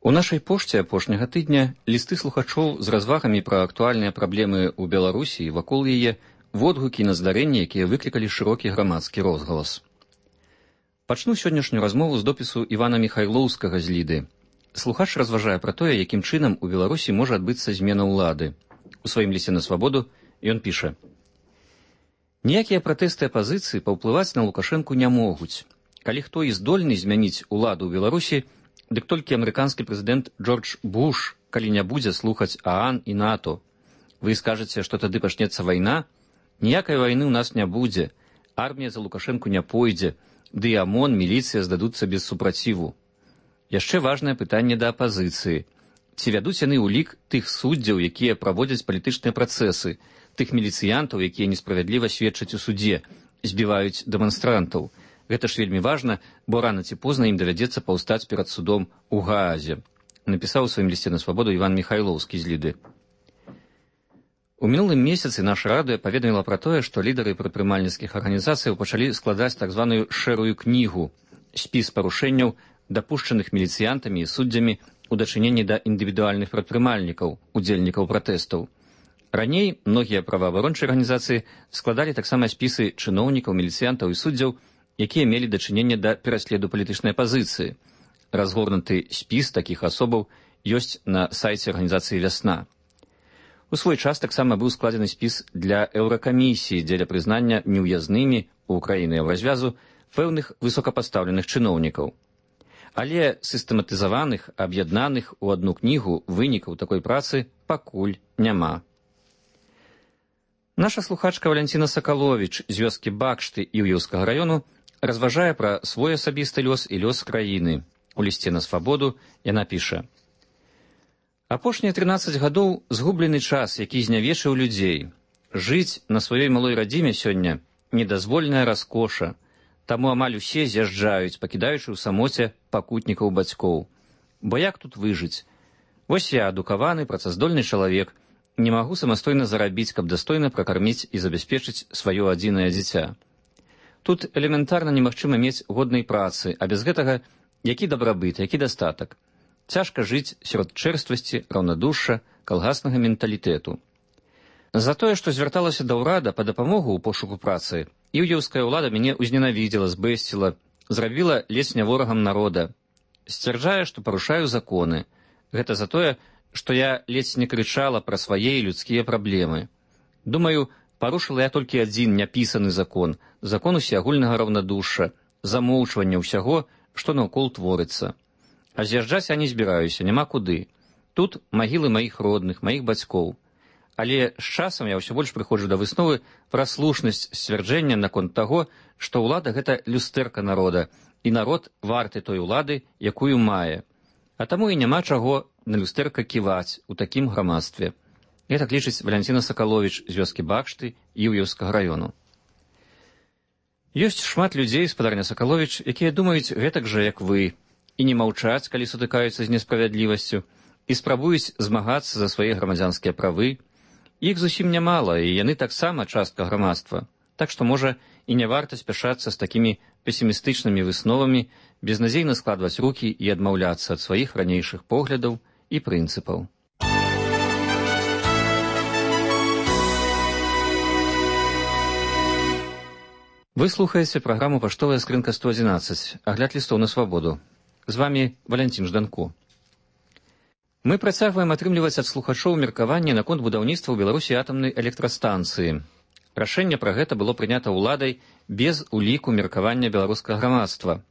У нашай пошце апошняга тыдня лісты слухачоў з развагамі пра актуальныя праблемы ў Беларусі і вакол яе, водгукі на здарэнні, якія выклікалі шырокі грамадскі розгалас. Пачну сённяшнюю размову з допісу Івана Міхайлоўскага з Ліды. Слухач разважае пра тое, якім чынам у Беларусі можа адбыцца змена ўлады. У сваім лісце на свабоду ён піша: «Ніякія пратэсты апазіцыі паўплываць на Лукашэнку не могуць. Калі хто і здольны змяніць уладу ў Беларусі, дык толькі амерыканскі прэзідэнт Джордж Буш, калі не будзе слухаць ААН і НАТО. Вы скажаце, што тады пачнецца вайна? Ніякай вайны ў нас не будзе. Армія за Лукашэнку не пойдзе, ды і ОМОН, міліцыя здадуцца без супраціву. Яшчэ важнае пытанне да апазіцыі. Ці вядуць яны ўлік тых суддзяў, якія праводзяць палітычныя працэсы, тых міліцыянтаў, якія несправядліва сведчаць у судзе, збіваюць дэманстрантаў. Гэта ж вельмі важна, бо рана ці позна ім давядзецца паўстаць перад судом у Гаазе», напісаў у сваім лісце на свабоду Іван Міхайлоўскі з Ліды. У мінулым месяцы наша радыё паведаміла пра тое, што лідары прадпрымальніцкіх арганізацыяў пачалі складаць так званую шэрую кнігу, спіс парушэнняў, дапушчаных міліцыянтамі і суддзямі у дачыненні да індывідуальных прадпрымальнікаў, удзельнікаў пратэстаў. Раней многія праваабарончыя арганізацыі складалі таксама спісы чыноўнікаў, міліцыянтаў і суддзяў, якія мелі дачыненне да пераследу палітычнай апазіцыі. Разгорнуты спіс такіх асобаў ёсць на сайце арганізацыі «Вясна». У свой час таксама быў складзены спіс для Еўракамісіі дзеля прызнання неўязнымі ў краіны Еўразвязу пэўных высокапастаўленых чыноўнікаў. Але сістэматызаваных, аб'яднаных у адну кнігу вынікаў такой працы пакуль няма. Наша слухачка Валянціна Сакаловіч з вёскі Бакшты Іўеўскага раёну разважае пра свой асабісты лёс і лёс краіны. У лісце на свабоду яна піша: «Апошнія трынаццаць гадоў згублены час, які знявечыў людзей. Жыць на сваёй малой радзіме сёння недазвольная раскоша. Таму амаль усе з'язджаюць, пакідаючы ў самоце пакутнікаў бацькоў. Бо як тут выжыць? Вось я, адукаваны, працаздольны чалавек, не магу самастойна зарабіць, каб дастойна пракарміць і забяспечыць сваё адзінае дзіця. Тут элементарна немагчыма мець годнай працы, а без гэтага які дабрабыт, які дастатак. Цяжка жыць сярод чэрствасці, раўнадушша, калгаснага менталітэту. За тое, што звярталася да ўрада па дапамогу ў пошуку працы, іўеўская ўлада мяне ўзненавідзела, збэсціла, зрабіла ледзь не ворагам народа. Сцвярджае, што парушаю законы. Гэта за тое, што я ледзь не крычала пра свае людскія праблемы. Думаю, парушыла я толькі адзін няпісаны закон, закон усеагульнага раўнадушша, замоўчвання ўсяго, што наўкол творыцца. А з'язджаць я не збіраюся, няма куды. Тут магілы маіх родных, маіх бацькоў. Але з часам я ўсё больш прыходжу да высновы пра слушнасць сцвярджэння наконт таго, што ўлада — гэта люстэрка народа, і народ варты той улады, якую мае. А таму і няма чаго на люстэрка ківаць у такім грамадстве. Гэтак лічыць Валянціна Сакаловіч з вёскі Бакшты Іўеўскага раёну. Ёсць шмат людзей, спадарня Сакаловіч, якія думаюць гэтак жа, як вы, і не маўчаць, калі сутыкаюцца з несправядлівасцю, і спрабуюць змагацца за свае грамадзянскія правы. Іх зусім нямала, і яны таксама частка грамадства. Так што, можа, і не варта спяшацца з такімі песімістычнымі высновамі, безнадзейна складваць рукі і адмаўляцца ад сваіх ранейшых поглядаў і прынцыпаў. Вы слухаеце праграму «Паштовая скрынка сто адзінаццаць», агляд лістоў на свабоду. З вамі Валянцін Жданко. Мы працягваем атрымліваць ад слухачоў меркаванне наконт будаўніцтва ў Беларусі атамнай электрастанцыі. Рашэнне пра гэта было прынята ўладай без уліку меркавання беларускага грамадства.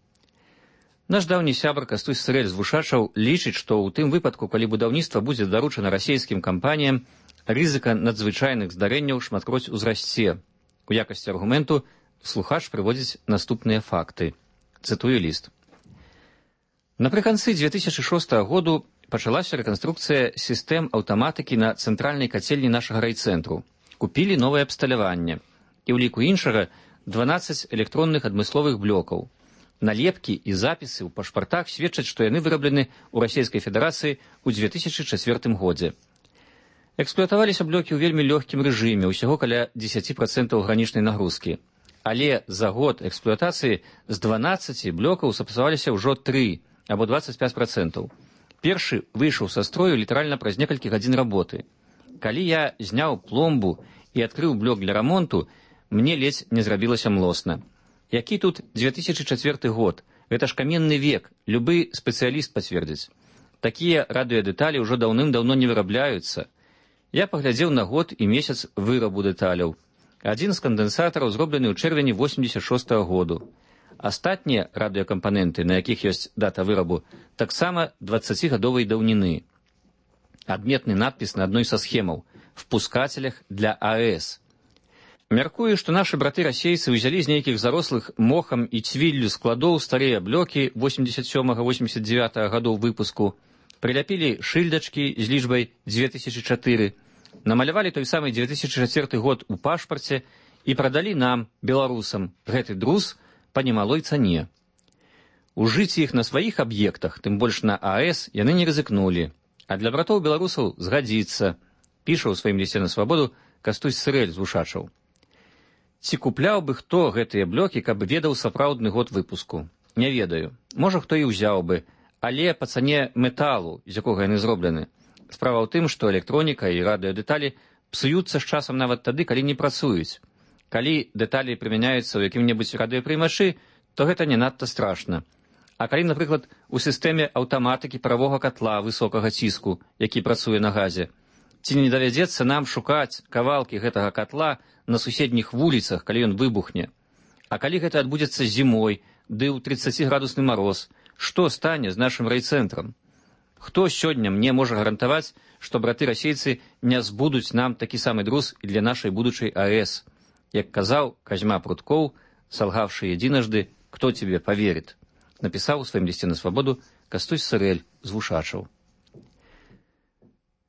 Наш даўні сябар Кастусь Сырэль з Вушачаў лічыць, што ў тым выпадку, калі будаўніцтва будзе даручана расійскім кампаніям, рызыка надзвычайных здарэнняў шматкроць узрасце. У якасці аргументу слухач прыводзіць наступныя факты. Цытую ліст. Напрыканцы дзве тысячы шостага году пачалася рэканструкцыя сістэм аўтаматыкі на цэнтральнай кацельні нашага райцэнтру. Купілі новае абсталяванне. І ў ліку іншага дванаццаць электронных адмысловых блокаў. Налепкі і запісы ў пашпартах сведчаць, што яны выраблены ў Расійскай Федэрацыі ў дзве тысячы чацвёртым годзе. Эксплуатаваліся блокі ў вельмі лёгкім рэжыме, усяго каля дзесяць працэнтаў гранічнай нагрузкі. Але за год эксплуатацыі з дванаццаці блокаў сапсаваліся ўжо тры або дваццаць пяць працэнтаў. Першы выйшаў са строю літаральна праз некалькі гадзін работы. Калі я зняў пломбу і адкрыў блок для рамонту, мне ледзь не зрабілася млосна. Які тут дзве тысячы чацвёрты год? Гэта ж каменны век, любы спецыяліст пацвердзіць. Такія радыёдэталі ўжо даўным-даўно не вырабляюцца. Я паглядзеў на год і месяц вырабу дэталяў. Адзін з кандэнсатараў зроблены ў чэрвені восемьдесят шостага году. Астатнія радыёкампаненты, на якіх ёсць дата вырабу, таксама дваццацігадовай даўніны. Адметны надпіс на адной са схемаў «Впускателях для АЭС». Мяркую, што нашы браты-расейцы ўзялі з нейкіх зарослых мохам і цвіллю складоў старыя блокі восемьдесят сёмага восемьдесят дзевятага гадоў выпуску, прыляпілі шыльдачкі з лічбай дзве тысячы чатыры, намалявалі той самы дзве тысячы чацвёрты год у пашпарце і прадалі нам, беларусам, гэты друз па немалой цане. Ужыць іх на сваіх аб'ектах, тым больш на АЭС, яны не рызыкнулі, а для братоў-беларусаў згадзіцца, піша ў сваім лісце на свабоду Кастусь Сырэль з Вушачаў. Ці купляў бы хто гэтыя блокі, каб ведаў сапраўдны год выпуску? Не ведаю. Можа, хто і ўзяў бы, але па цане металу, з якога яны зроблены. Справа ў тым, што электроніка і радыёдэталі псуюцца з часам нават тады, калі не працуюць. Калі дэталі прымяняюцца ў якім-небудзь радыёпрымачы, то гэта не надта страшна. А калі, напрыклад, у сістэме аўтаматыкі паравога катла высокага ціску, які працуе на газе, ці не давядзецца нам шукаць кавалкі гэтага катла на суседніх вуліцах, калі ён выбухне? А калі гэта адбудзецца зімой, ды ў трыццаціградусны мароз, што стане з нашым райцэнтрам? Хто сёння мне можа гарантаваць, што браты-расейцы не збудуць нам такі самы друз і для нашай будучай АЭС? Як казаў Казьма Пруткоў, салгавшы едзінажды, «Кто тебе поверит?» напісаў у сваім лісце на свабоду Кастусь Сырэль з Вушачаў.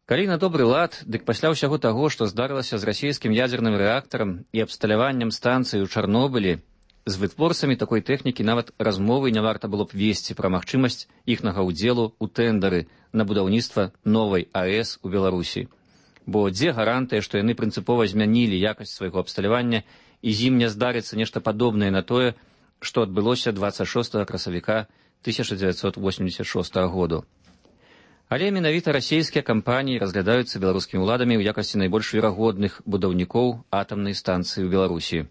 Калі на добры лад, дык пасля ўсяго таго, што здарылася з расійскім ядзерным рэактарам і абсталяваннем станцыі ў Чарнобылі, з вытворцамі такой тэхнікі нават размовы не варта было б весці пра магчымасць іхнага ўдзелу ў тэндары на будаўніцтва новай АЭС у Беларусі. Бо дзе гарантыя, што яны прынцыпова змянілі якасць свайго абсталявання і з ім не здарыцца нешта падобнае на тое, што адбылося дваццаць шостага красавіка тысяча дзевяцьсот восемьдесят шостага году. Але менавіта расійскія кампаніі разглядаюцца беларускімі ўладамі ў якасці найбольш верагодных будаўнікоў атамнай станцыі ў Беларусі.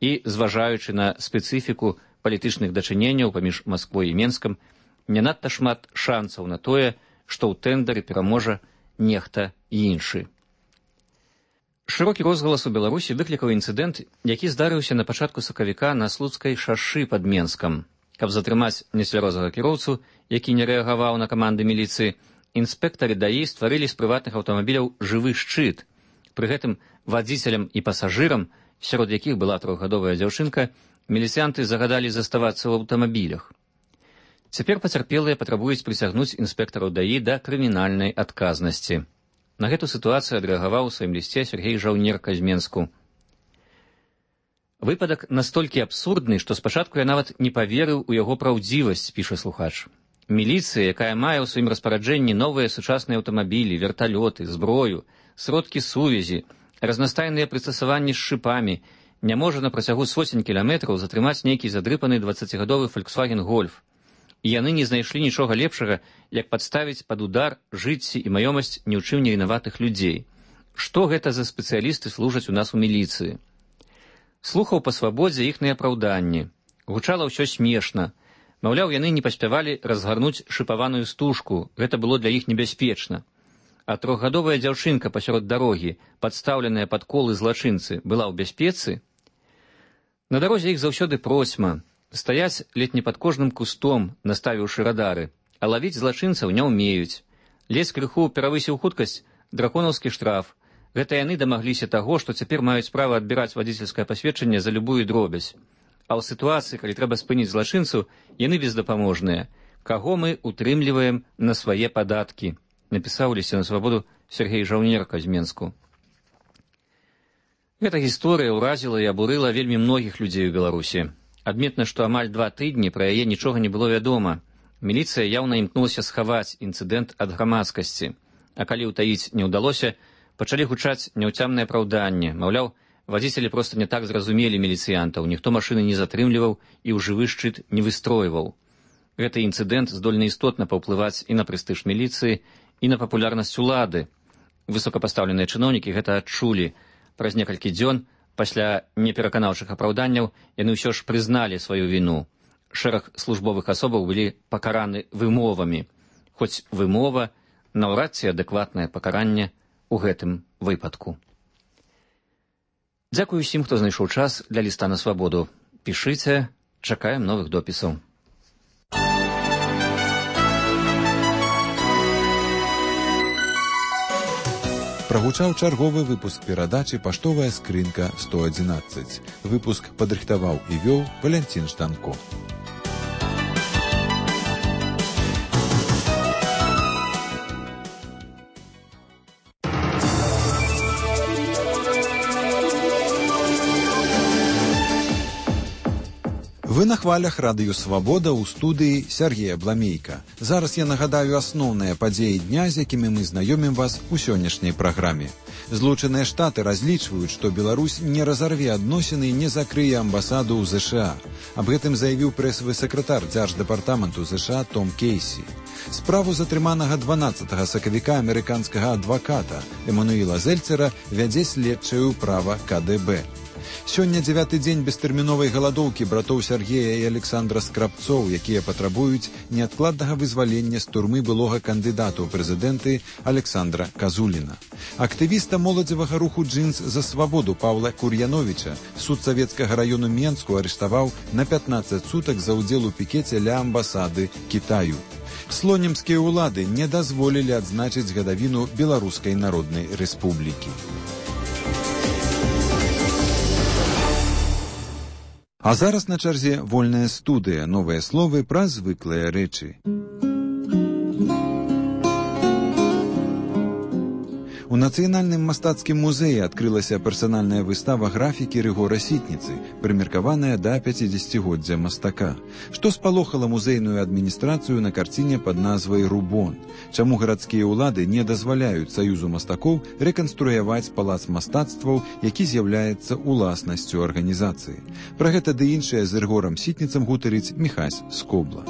І, зважаючы на спецыфіку палітычных дачыненняў паміж Масквой і Менскам, не надта шмат шансаў на тое, што ў тэндары пераможа нехта іншы. Шырокі розгалас у Беларусі выклікаў інцыдэнт, які здарыўся на пачатку сакавіка на Слуцкай шашы пад Менскам. Каб затрымаць нецвярозага кіроўцу, які не рэагаваў на каманды міліцыі, інспектары даі стварылі з прыватных аўтамабіляў жывы шчыт. Пры гэтым вадзіцелям і пасажырам, сярод якіх была трохгадовая дзяўчынка, міліцыянты загадалі заставацца ў аўтамабілях. Цяпер пацярпелыя патрабуюць прысягнуць інспектараў даі да крымінальнай адказнасці. На гэту сітуацыю адрэагаваў у сваім лісце Сергей Жаўнерка з Менску. Выпадак настолькі абсурдны, што спачатку я нават не паверыў у яго праўдзівасць, піша слухач. Міліцыя, якая мае ў сваім распараджэнні новыя сучасныя аўтамабілі, верталёты, зброю, сродкі сувязі, разнастайныя прыстасаванні з шыпамі, не можа на працягу соцень кіламетраў затрымаць нейкі задрыпаны дваццацігадовы Volkswagen Golf. І яны не знайшлі нічога лепшага, як падставіць пад удар жыцці і маёмасць ні ў чым не вінаватых людзей. Што гэта за спецыялісты служаць у нас у міліцыі? Слухаў па свабодзе іхныя апраўданні. Гучала ўсё смешна. Маўляў, яны не паспявалі разгарнуць шыпаваную стужку, гэта было для іх небяспечна. А трохгадовая дзяўчынка пасярод дарогі, падстаўленая пад колы злачынцы, была ў бяспецы? На дарозе іх заўсёды процьма. Стаяць ледь не пад кожным кустом, наставіўшы радары, а лавіць злачынцаў не ўмеюць. Ледзь крыху перавысіў хуткасць, драконаўскі штраф. Гэта яны дамагліся таго, што цяпер маюць права адбіраць вадзіцельскае пасведчанне за любую дробязь. А ў сітуацыі, калі трэба спыніць злачынцу, яны бездапаможныя. Каго мы утрымліваем на свае падаткі? Напісаў у лісце на свабоду Сергей Жаўнерка з Менску. Гэта гісторыя ўразіла і абурыла вельмі многіх людзей у Беларусі. Адметна, што амаль два тыдні пра яе нічога не было вядома. Міліцыя яўна імкнулася схаваць інцыдэнт ад грамадскасці. А калі ўтаіць не ўдалося, пачалі гучаць няўцямныя апраўданні. Маўляў, вадзіцелі проста не так зразумелі міліцыянтаў, ніхто машыны не затрымліваў і ў жывы шчыт не выстройваў. Гэты інцыдэнт здольны істотна паўплываць і на прэстыж міліцыі, і на папулярнасць улады. Высокапастаўленыя чыноўнікі гэта адчулі. Праз некалькі дзён, пасля непераканаўчых апраўданняў, яны ўсё ж прызналі сваю віну. Шэраг службовых асобаў былі пакараны вымовамі. Хоць вымова наўрад ці адэкватнае пакаранне ў гэтым выпадку. Дзякую ўсім, хто знайшоў час для ліста на свабоду. Пішыце, чакаем новых допісаў. Прагучаў чарговы выпуск перадачы «Паштовая скрынка сто адзінаццаць». Выпуск падрыхтаваў і вёў Валянцін Штанко. Вы на хвалях радыё «Свабода» ў студыі Сергея Бламейка. Зараз я нагадаю асноўныя падзеі дня, з якімі мы знаёмім вас у сённяшняй праграме. Злучаныя Штаты разлічваюць, што Беларусь не разарве адносіны і не закрые амбасаду ў ЗША. Аб гэтым заявіў прэсавы сакратар дзярждэпартаменту ЗША Том Кейсі. Справу затрыманага дванаццатага сакавіка амерыканскага адваката Эмануіла Зельцера вядзе следчае ўправа ка дэ бэ. Сёння дзявяты дзень бестэрміновай галадоўкі братоў Сергея і Александра Скрабцоў, якія патрабуюць неадкладнага вызвалення з турмы былога кандыдата ў прэзідэнты Александра Казуліна. Актывіста моладзевага руху «Джинс за свабоду» Паўла Кур'яновіча суд савецкага раёну Менску арыштаваў на пятнаццаць сутак за ўдзел у пікеце ля амбасады Кітаю. Слонімскія ўлады не дазволілі адзначыць гадавіну Беларускай Народнай Рэспублікі. А зараз на чарзе вольная студыя, новыя словы пра звыклыя рэчы. У Нацыянальным мастацкім музеі адкрылася персанальная выстава графікі Рыгора Сітніцы, прымеркаваная да пяцідзесяцігоддзя мастака. Што спалохала музейную адміністрацыю на карціне пад назвай «Рубон»? Чаму гарадскія ўлады не дазваляюць Саюзу мастакоў рэканструяваць палац мастацтваў, які з'яўляецца уласнасцю арганізацыі? Пра гэта ды іншае з Рыгорам Сітніцам гутарыць Міхась Скобла.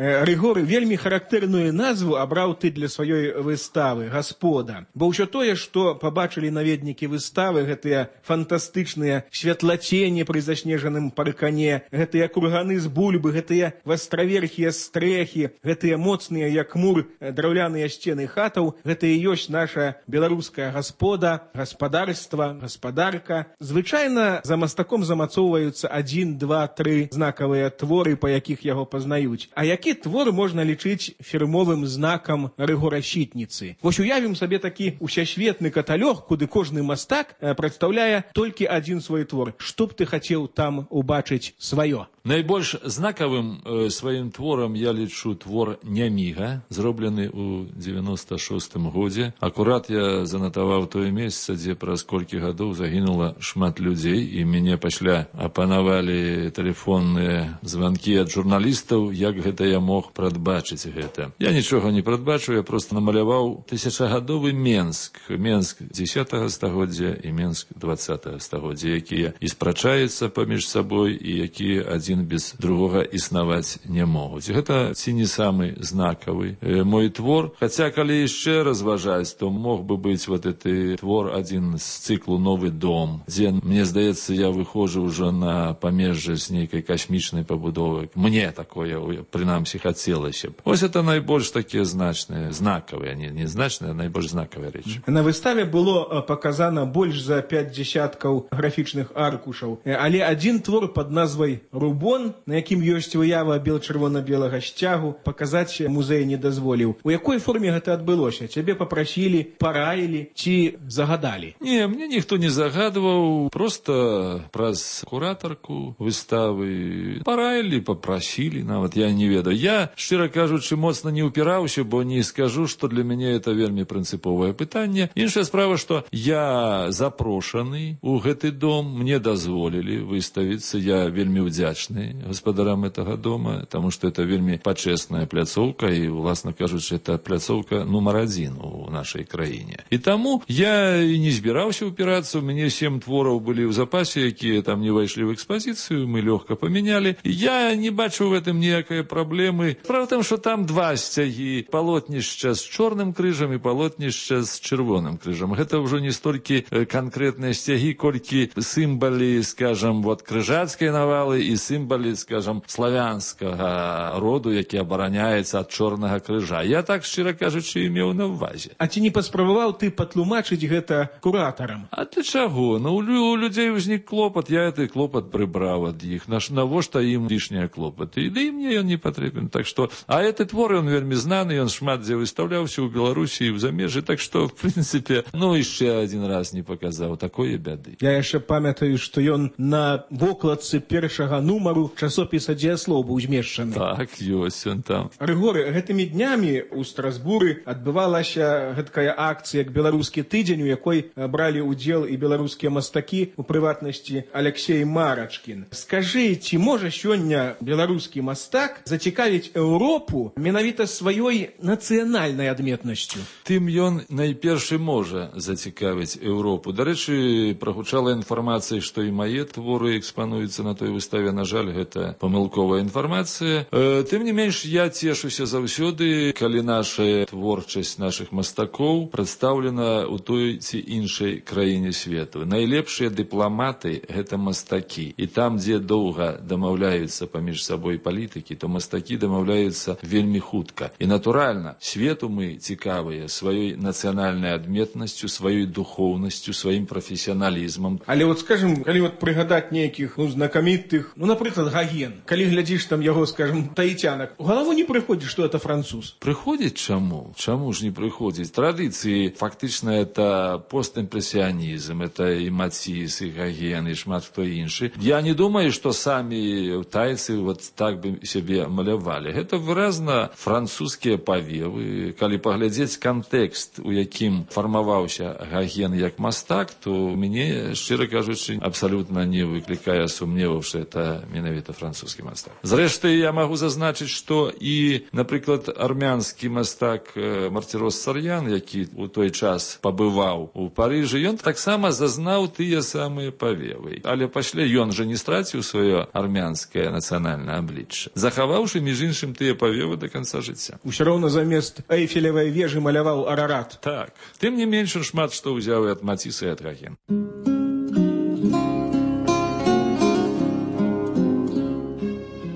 Рыгор вельмі характэрную назву абраў ты для сваёй выставы «Гаспода». Бо ўсё тое, што пабачылі наведнікі выставы, гэтыя фантастычныя святлацені пры заснежаным паркане, гэтыя курганы з бульбы, гэтыя вастраверхія стрэхі, гэтыя моцныя, як мур, драўляныя сцены хатаў, гэта і ёсць наша беларуская гаспода, гаспадарства, гаспадарка. Звычайна за мастаком замацоўваюцца адзін, два, тры знакавыя творы, па якіх яго пазнаюць. А які твор можна лічыць фірмовым знакам Рыгора Сітніцы? Вось уявім сабе такі усесветны каталог, куды кожны мастак прадстаўляе толькі адзін свой твор. Што б ты хацеў там убачыць сваё? Найбольш знакавым э, сваім творам я лічу твор «Няміга», зроблены ў дзевяноста шостым годзе. Акурат я занатаваў тое месца, дзе праз колькі гадоў загінула шмат людзей, і мяне пасля апанавалі тэлефонныя званкі ад журналістаў, як гэта я мог прадбачыць гэта. Я нічога не прадбачу, я проста намаляваў тысячагадовы Менск, Менск дзесятага стагоддзя і Менск дваццатага стагоддзя, якія і спрачаюцца паміж сабой, і якія адзін без другога існаваць не могуць. Гэта ці не самы знакавы э, мой твор. Хаця, калі яшчэ разважаць, то мог бы быць вот гэты твор адзін з цыклу «Новы дом», дзе, мне здаецца, я выходжу ўжо на памежжа з нейкай касмічнай пабудовы. Мне такое, прынамсі, хацелася б. Вось это найбольш такія значныя, знакавыя, не, не значныя, а найбольш знакавыя рэчы. На выставе было паказана больш за пяць дзесяткаў графічных аркушаў, але адзін твор пад назвай «Рубон», на якім ёсць выява бел-чырвона-белага сцягу, паказаць музей не дазволіў. У якой форме гэта адбылося? Цябе папрасілі, параілі ці загадалі? Не, мне ніхто не загадваў, проста праз куратарку выставы параілі, папрасілі, нават я не ведаю, Я, шчыра кажучы, моцна не ўпіраўся, бо не скажу, што для мяне это вельмі прынцыповае пытанне. Іншая справа, што я запрошаны ў гэты дом, мне дазволілі выставіцца, я вельмі ўдзячны гаспадарам гэтага дома, таму што это вельмі пачэсная пляцоўка і, уласна кажучы, это пляцоўка нумар адзін у нашай краіне. І таму я і не збіраўся ўпірацца, у мяне сем твораў былі ў запасе, якія там не ўвайшлі ў экспазіцыю, мы лёгка памянялі. Я не бачу в этом ніякай праблемы. Справа в тым, што там два сцягі, палотнішча з чорным крыжам і палотнішча з чырвоным крыжам. Гэта ўжо не столькі канкрэтныя сцягі, колькі сімвалы, скажам, вот крыжацкай навалы і сімвалы, скажам, славянскага роду, які абараняецца ад чорнага крыжа. Я так, шчыра кажучы, меў на ўвазе. А ці не паспрабаваў ты патлумачыць гэта куратарам? А для чаго? Ну, у людзей узнік клопат, я гэты клопат прыбраў ад іх. Навошта ім лішнія клопаты? І да і мне ён не патрэбен. Так што, а гэты твор, ён вельмі знаны, ён шмат дзе выстаўляўся ў Беларусі і ў замежжы, так што, в прынцыпе, ну, яшчэ адзін раз не паказаў такое бяды. Я яшчэ памятаю, што ён на вокладцы першага нумару часопіса «Дзеяслоў» быў змешчаны. Так, ёсць ён там. Рыгоры, гэтымі днямі ў Страсбуры адбывалася гэткая акцыя як беларускі тыдзень, у якой бралі ўдзел і беларускія мастакі, у прыватнасці Алексей Марачкін. Скажы, ці можа сёння беларускі мастак зацікавіць Еўропу менавіта сваёй нацыянальнай адметнасцю? Тым ён найперш можа зацікавіць Еўропу. Дарэчы, прагучала інфармацыя, што і мае творы экспануюцца на той выставе. На жаль, гэта памылковая інфармацыя. Э, тым не менш, я цешуся заўсёды, калі наша творчасць нашых мастакоў прадстаўлена ў той ці іншай краіне свету. Найлепшыя дыпламаты — гэта мастакі. І там, дзе доўга дамаўляюцца паміж сабой палітыкі, то мастакі дамаўляюцца вельмі хутка. І, натуральна, свету мы цікавыя сваёй нацыянальнай адметнасцю, сваёй духоўнасцю, сваім прафесіяналізмам. Але вот, скажем, калі вот прыгадаць нейкіх, ну, знакамітых, ну, напрыклад, Гоген, калі глядзіш там яго, скажем, таіцянак, у галаву не прыходзіць, што это француз? Прыходзіць чаму? Чаму ж не прыходзіць? Традыцыі, фактычна, это постімпрэсіянізм, это і Маціс, і Гоген, і шмат хто іншы. Я не думаю, што самі тайцы вот так бы сябе малявалі. Гэта выразна французскія павевы. Калі паглядзець кантэкст, у якім фармаваўся Гоген як мастак, то мяне, шчыра кажучы, абсалютна не выклікае сумневаў, што это менавіта французскі мастак. Зрэшты, я магу зазначыць, што і, напрыклад, армянскі мастак Мартирос Сарьян, які у той час пабываў у Парыжы, ён таксама зазнаў тыя самыя павевы. Але пасля ён жа не страціў сваё армянскае нацыянальнае аблічча, захаваўшы, між іншым, тыя павевы да канца жыцця. Усё роўна замест Эйфелевай вежы маляваў Арарат. Так. Тым не менш, шмат што ўзяў і ад Маціса, і ад Гогена.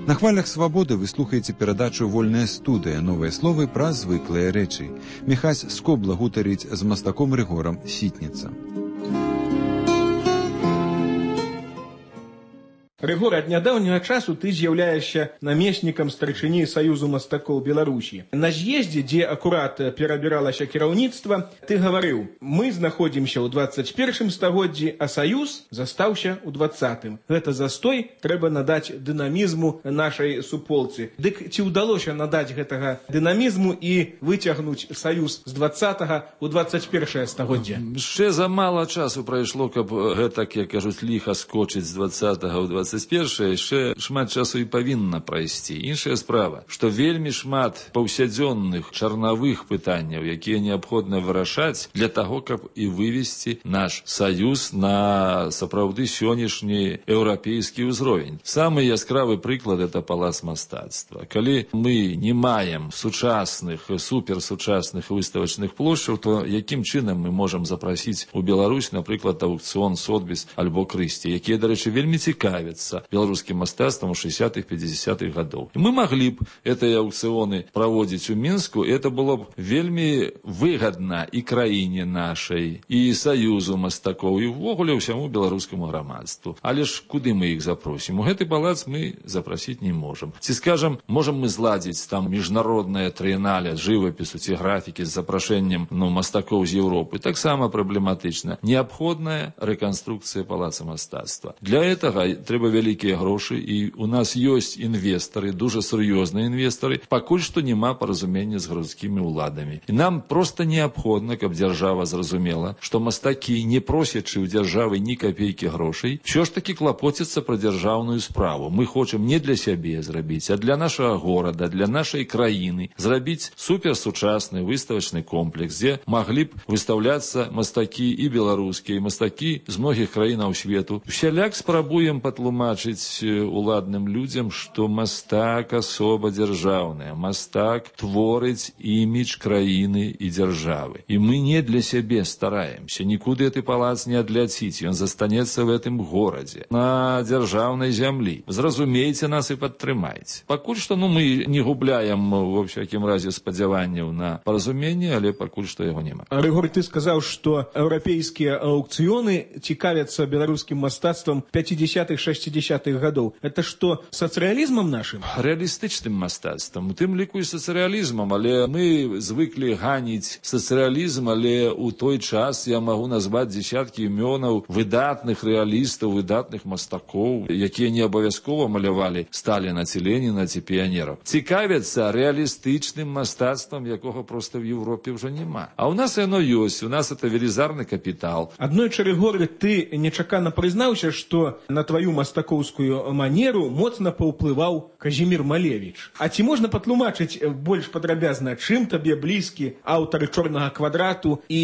На хвалях свабоды вы слухаеце перадачу «Вольная студыя», новыя словы пра звыклыя рэчы. Міхась Скобла гутарыць з мастаком Рыгорам Сітніца. Рыгор, ад нядаўняга часу ты з'яўляешся намеснікам старшыні Саюзу мастакоў Беларусі. На з'ездзе, дзе акурат перабіралася кіраўніцтва, ты гаварыў: мы знаходзімся ў дваццаць першым стагоддзі, а Саюз застаўся ў дваццатым. Гэта застой трэба надаць дынамізму нашай суполцы. Дык ці ўдалося надаць гэтага дынамізму і выцягнуць Саюз з дваццатага ў дваццаць першае стагоддзе? Яшчэ замала часу прайшло, каб гэтак, як кажуць, ліха скочыць з дваццатага ў дваццаць першае, яшчэ шмат часу і павінна прайсці. Іншая справа, што вельмі шмат паўсядзённых чарнавых пытанняў, якія неабходна вырашаць для таго, каб і вывесці наш Саюз на сапраўды сённяшні еўрапейскі ўзровень. Самы яскравы прыклад — это палац мастацтва. Калі мы не маем сучасных, суперсучасных выставачных плошчаў, то якім чынам мы можам запрасіць у Беларусь, напрыклад, аукцыён Сотбіс альбо Крысці, якія, дарэчы, вельмі цікавяцца беларускім мастацтвам у шэсцятых пяцідзясятых гадоў. Мы маглі б гэтыя аукцыёны праводзіць у Мінску, і это было б вельмі выгадна і краіне нашай, і Саюзу мастакоў, і ўвогуле ўсяму беларускаму грамадству. Але ж куды мы іх запросім? У гэты палац мы запрасіць не можам. Ці, скажам, можам мы зладзіць там міжнароднае трыенале жывапісу ці графікі з запрашэннем, ну, мастакоў з Еўропы? Таксама праблематычна. Неабходная рэканструкцыя палаца мастацтва. Для гэтага трэба трэба вялікія грошы, і у нас ёсць інвестары, дуже сур'ёзныя інвестары, пакуль што няма паразумення з гарадскімі ўладамі. І нам проста неабходна, каб дзяржава зразумела, што мастакі, не просячы ў дзяржавы ні капейкі грошай, ўсё ж такі клапоціцца пра дзяржаўную справу. Мы хочам не для сябе зрабіць, а для нашага горада, для нашай краіны, зрабіць суперсучасны выставачны комплекс, дзе маглі б выстаўляцца мастакі і беларускія, і мастакі з многіх краінаў свету. Усяляк спрабуем патлумачыць уладным людзям, што мастак асоба дзяржаўная, мастак творыць імідж краіны і дзяржавы. І мы не для сябе стараемся, нікуды гэты палац не адляціць, ён застанецца в гэтым горадзе, на дзяржаўнай зямлі. Зразумейце нас і падтрымайце. Пакуль што ну, мы не губляем, во всякім разе, спадзяванняў на паразуменне, але пакуль што яго няма. Рыгор, ты сказаў, што еўрапейскія аўкцыёны цікавяцца беларускім мастацтвам пяцідзясятых шэсцідзясятых гадоў. Это што, сацыялізмам нашым? Рэалістычным мастацтвам, у тым ліку і сацыялізмам, але мы звыклі ганіць сацыялізм, але ў той час я магу назваць дзесяткі імёнаў выдатных рэалістаў, выдатных мастакоў, якія не абавязкова малявалі Сталіна ці Леніна ці піянераў. Цікавяцца рэалістычным мастацтвам, якога проста в Европе ўжо няма. А ў нас яно ёсць, у нас это велізарны капітал. Аднойчы, Рыгор, ты нечакана прызнаўся, што на тваю мастакоўскую манеру моцна паўплываў Казімір Малевіч. А ці можна патлумачыць больш падрабязна, чым табе блізкі аўтар «Чорнага квадрату» і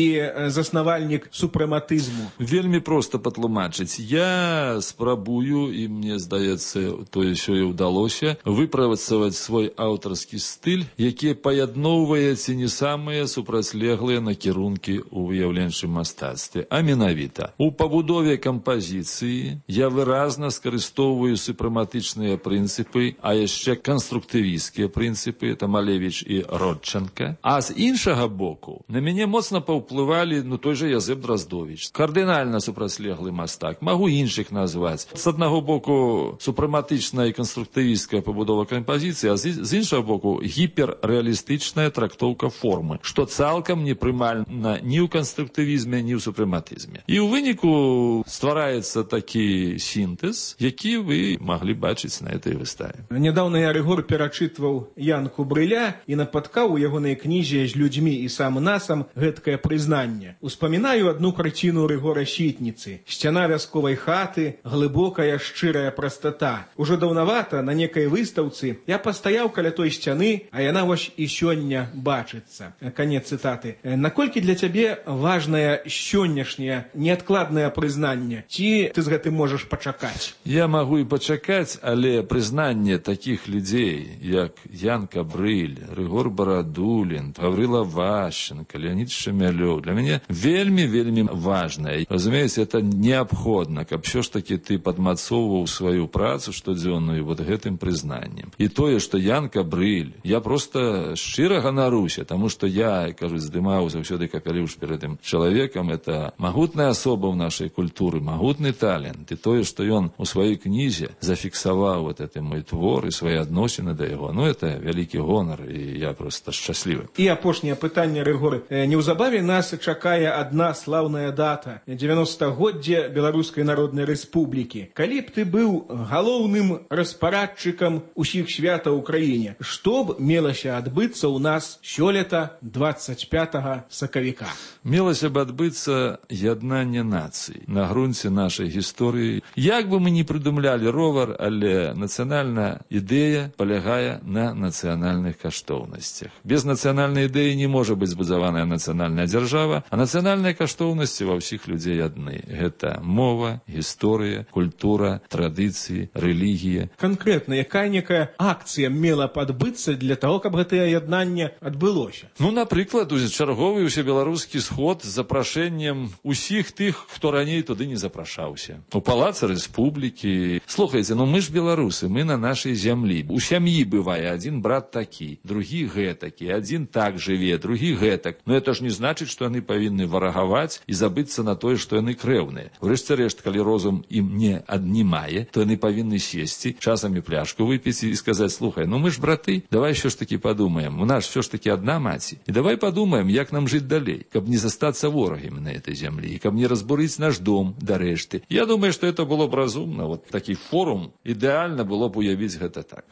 заснавальнік супрэматызму? Вельмі проста патлумачыць. Я спрабую, і мне здаецца, то ўсё і ўдалося, выпрацаваць свой аўтарскі стыль, які паядноўвае ці не самыя супрацьлеглыя накірункі ў выяўленчым мастацтве, а менавіта у пабудове кампазіцыі я выразна скарыстоўваю супрэматычныя прынцыпы, а яшчэ канструктывісцкія прынцыпы, это Малевіч і Родченка. А з іншага боку на мяне моцна паўплывалі ну той жа Язэп Драздовіч, кардынальна супрацьлеглы мастак, магу іншых назваць. З аднаго боку супрэматычная і канструктывісцкая пабудова кампазіцыі, а з іншага боку гіперрэалістычная трактоўка формы, што цалкам непрымальна ні ў канструктывізме, ні ў супрэматызме. І ў выніку ствараецца такі сінтэз, які вы маглі бачыць на этой выставе. Нядаўна я, Рыгор, перачытваў Янку Брыля і напаткаў у ягонай кнізе «З людзьмі і сам насам» гэткае прызнанне. Успамінаю адну карціну Рыгора Сітніцы. Сцяна вясковай хаты, глыбокая шчырая прастата. Ужо даўнавата на некай выстаўцы я пастаяў каля той сцяны, а яна вось і сёння бачыцца. Канец цытаты. Наколькі для цябе важнае сённяшняе неадкладнае прызнанне? Ці ты з гэтым можаш пачакаць? Я магу і пачакаць, але прызнанне такіх людзей, як Янка Брыль, Рыгор Барадулін, Гаврыла Ващенко, Леонид Шемялёв, для мяне вельмі-вельмі важнае. Разумееце, это неабходна, каб ўсё ж такі ты падмацоўваў сваю працу штодзённую вот гэтым прызнаннем. І тое, што Янка Брыль, я просто шчыра ганаруся, таму што я, кажу, здымаў заўсёды капялюш перад тым чалавекам, это магутная асоба ў нашай культуры, магутны талент. І тое, што ён у сваёй кнізе зафіксаваў вот это мой твор і свае адносіны да яго, ну это вялікі гонар, і я просто шчаслівы. І апошняе пытанне, Рыгор. Неўзабаве нас чакае адна слаўная дата – дзевяностагоддзе Беларускай Народнай Рэспублікі. Калі б ты быў галоўным распарадчыкам усіх святаў у краіне, што б мелася адбыцца ў нас сёлета двадцать пятага сакавіка? Мелася б адбыцца яднанне нацый на грунце нашай гісторыі. Як бы мы не прыдумлялі ровар, але нацыянальная ідэя палягае на нацыянальных каштоўнасцях. Без нацыянальнай ідэі не можа быць збудаваная нацыянальная дзяржава, а нацыянальныя каштоўнасці ва ўсіх людзей адны. Гэта мова, гісторыя, культура, традыцыі, рэлігія. Канкрэтна, якая-некая акцыя мела б адбыцца для таго, каб гэтае яднанне адбылося? Ну, напрыклад, чарговы ўсебеларускі сход з запрашэннем усіх тых, хто раней туды не запрашаўся. У палацы Рэспублікі. Слухайце, ну мы ж беларусы, мы на нашай зямлі. У сям'і бывае адзін брат такі, другі гэтакі, адзін так жыве, другі гэтак. Но это ж не значыць, што яны павінны варагаваць і забыцца на тое, што яны крэўныя. Урэшце рэшт, калі розум ім не аднімае, то яны павінны сесці, часамі пляшку выпіць і сказаць: слухай, ну мы ж браты, давай ўсё ж такі падумаем, у нас ўсё ж такі адна маці. І давай падумаем, як нам жыць далей, каб не застацца ворагамі на этой зямлі, каб не разбурыць наш дом да рэшты. Я думаю, што это было б разумна. сумна. Вот такі форум ідэальна было б уявіць гэта так.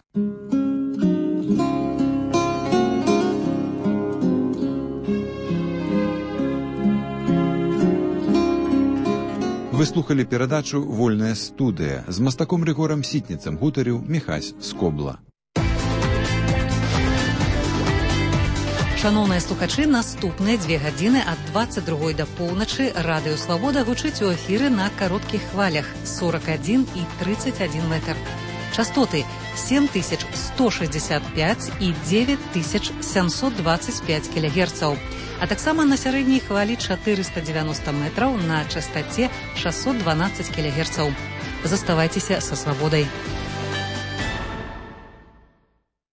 Вы слухали перадачу «Вольная студыя». З мастаком Рыгорам Сітніцам гутарыў Міхась Скобла. Шановныя слухачы, наступныя дзве гадзіны ад дваццаць другой да поўначы Радыё Свабода гучыць у эфіры на кароткіх хвалях сорок адзін і тридцать один метр. Частоты сем тысяч сто шестьдесят пять і девять тысяч семьсот двадцать пять кілогерцаў, а таксама на сярэдняй хвалі чатырыста дзевяноста метраў на частаце шестьсот двенадцать кілогерцаў. Заставайцеся са Свабодай.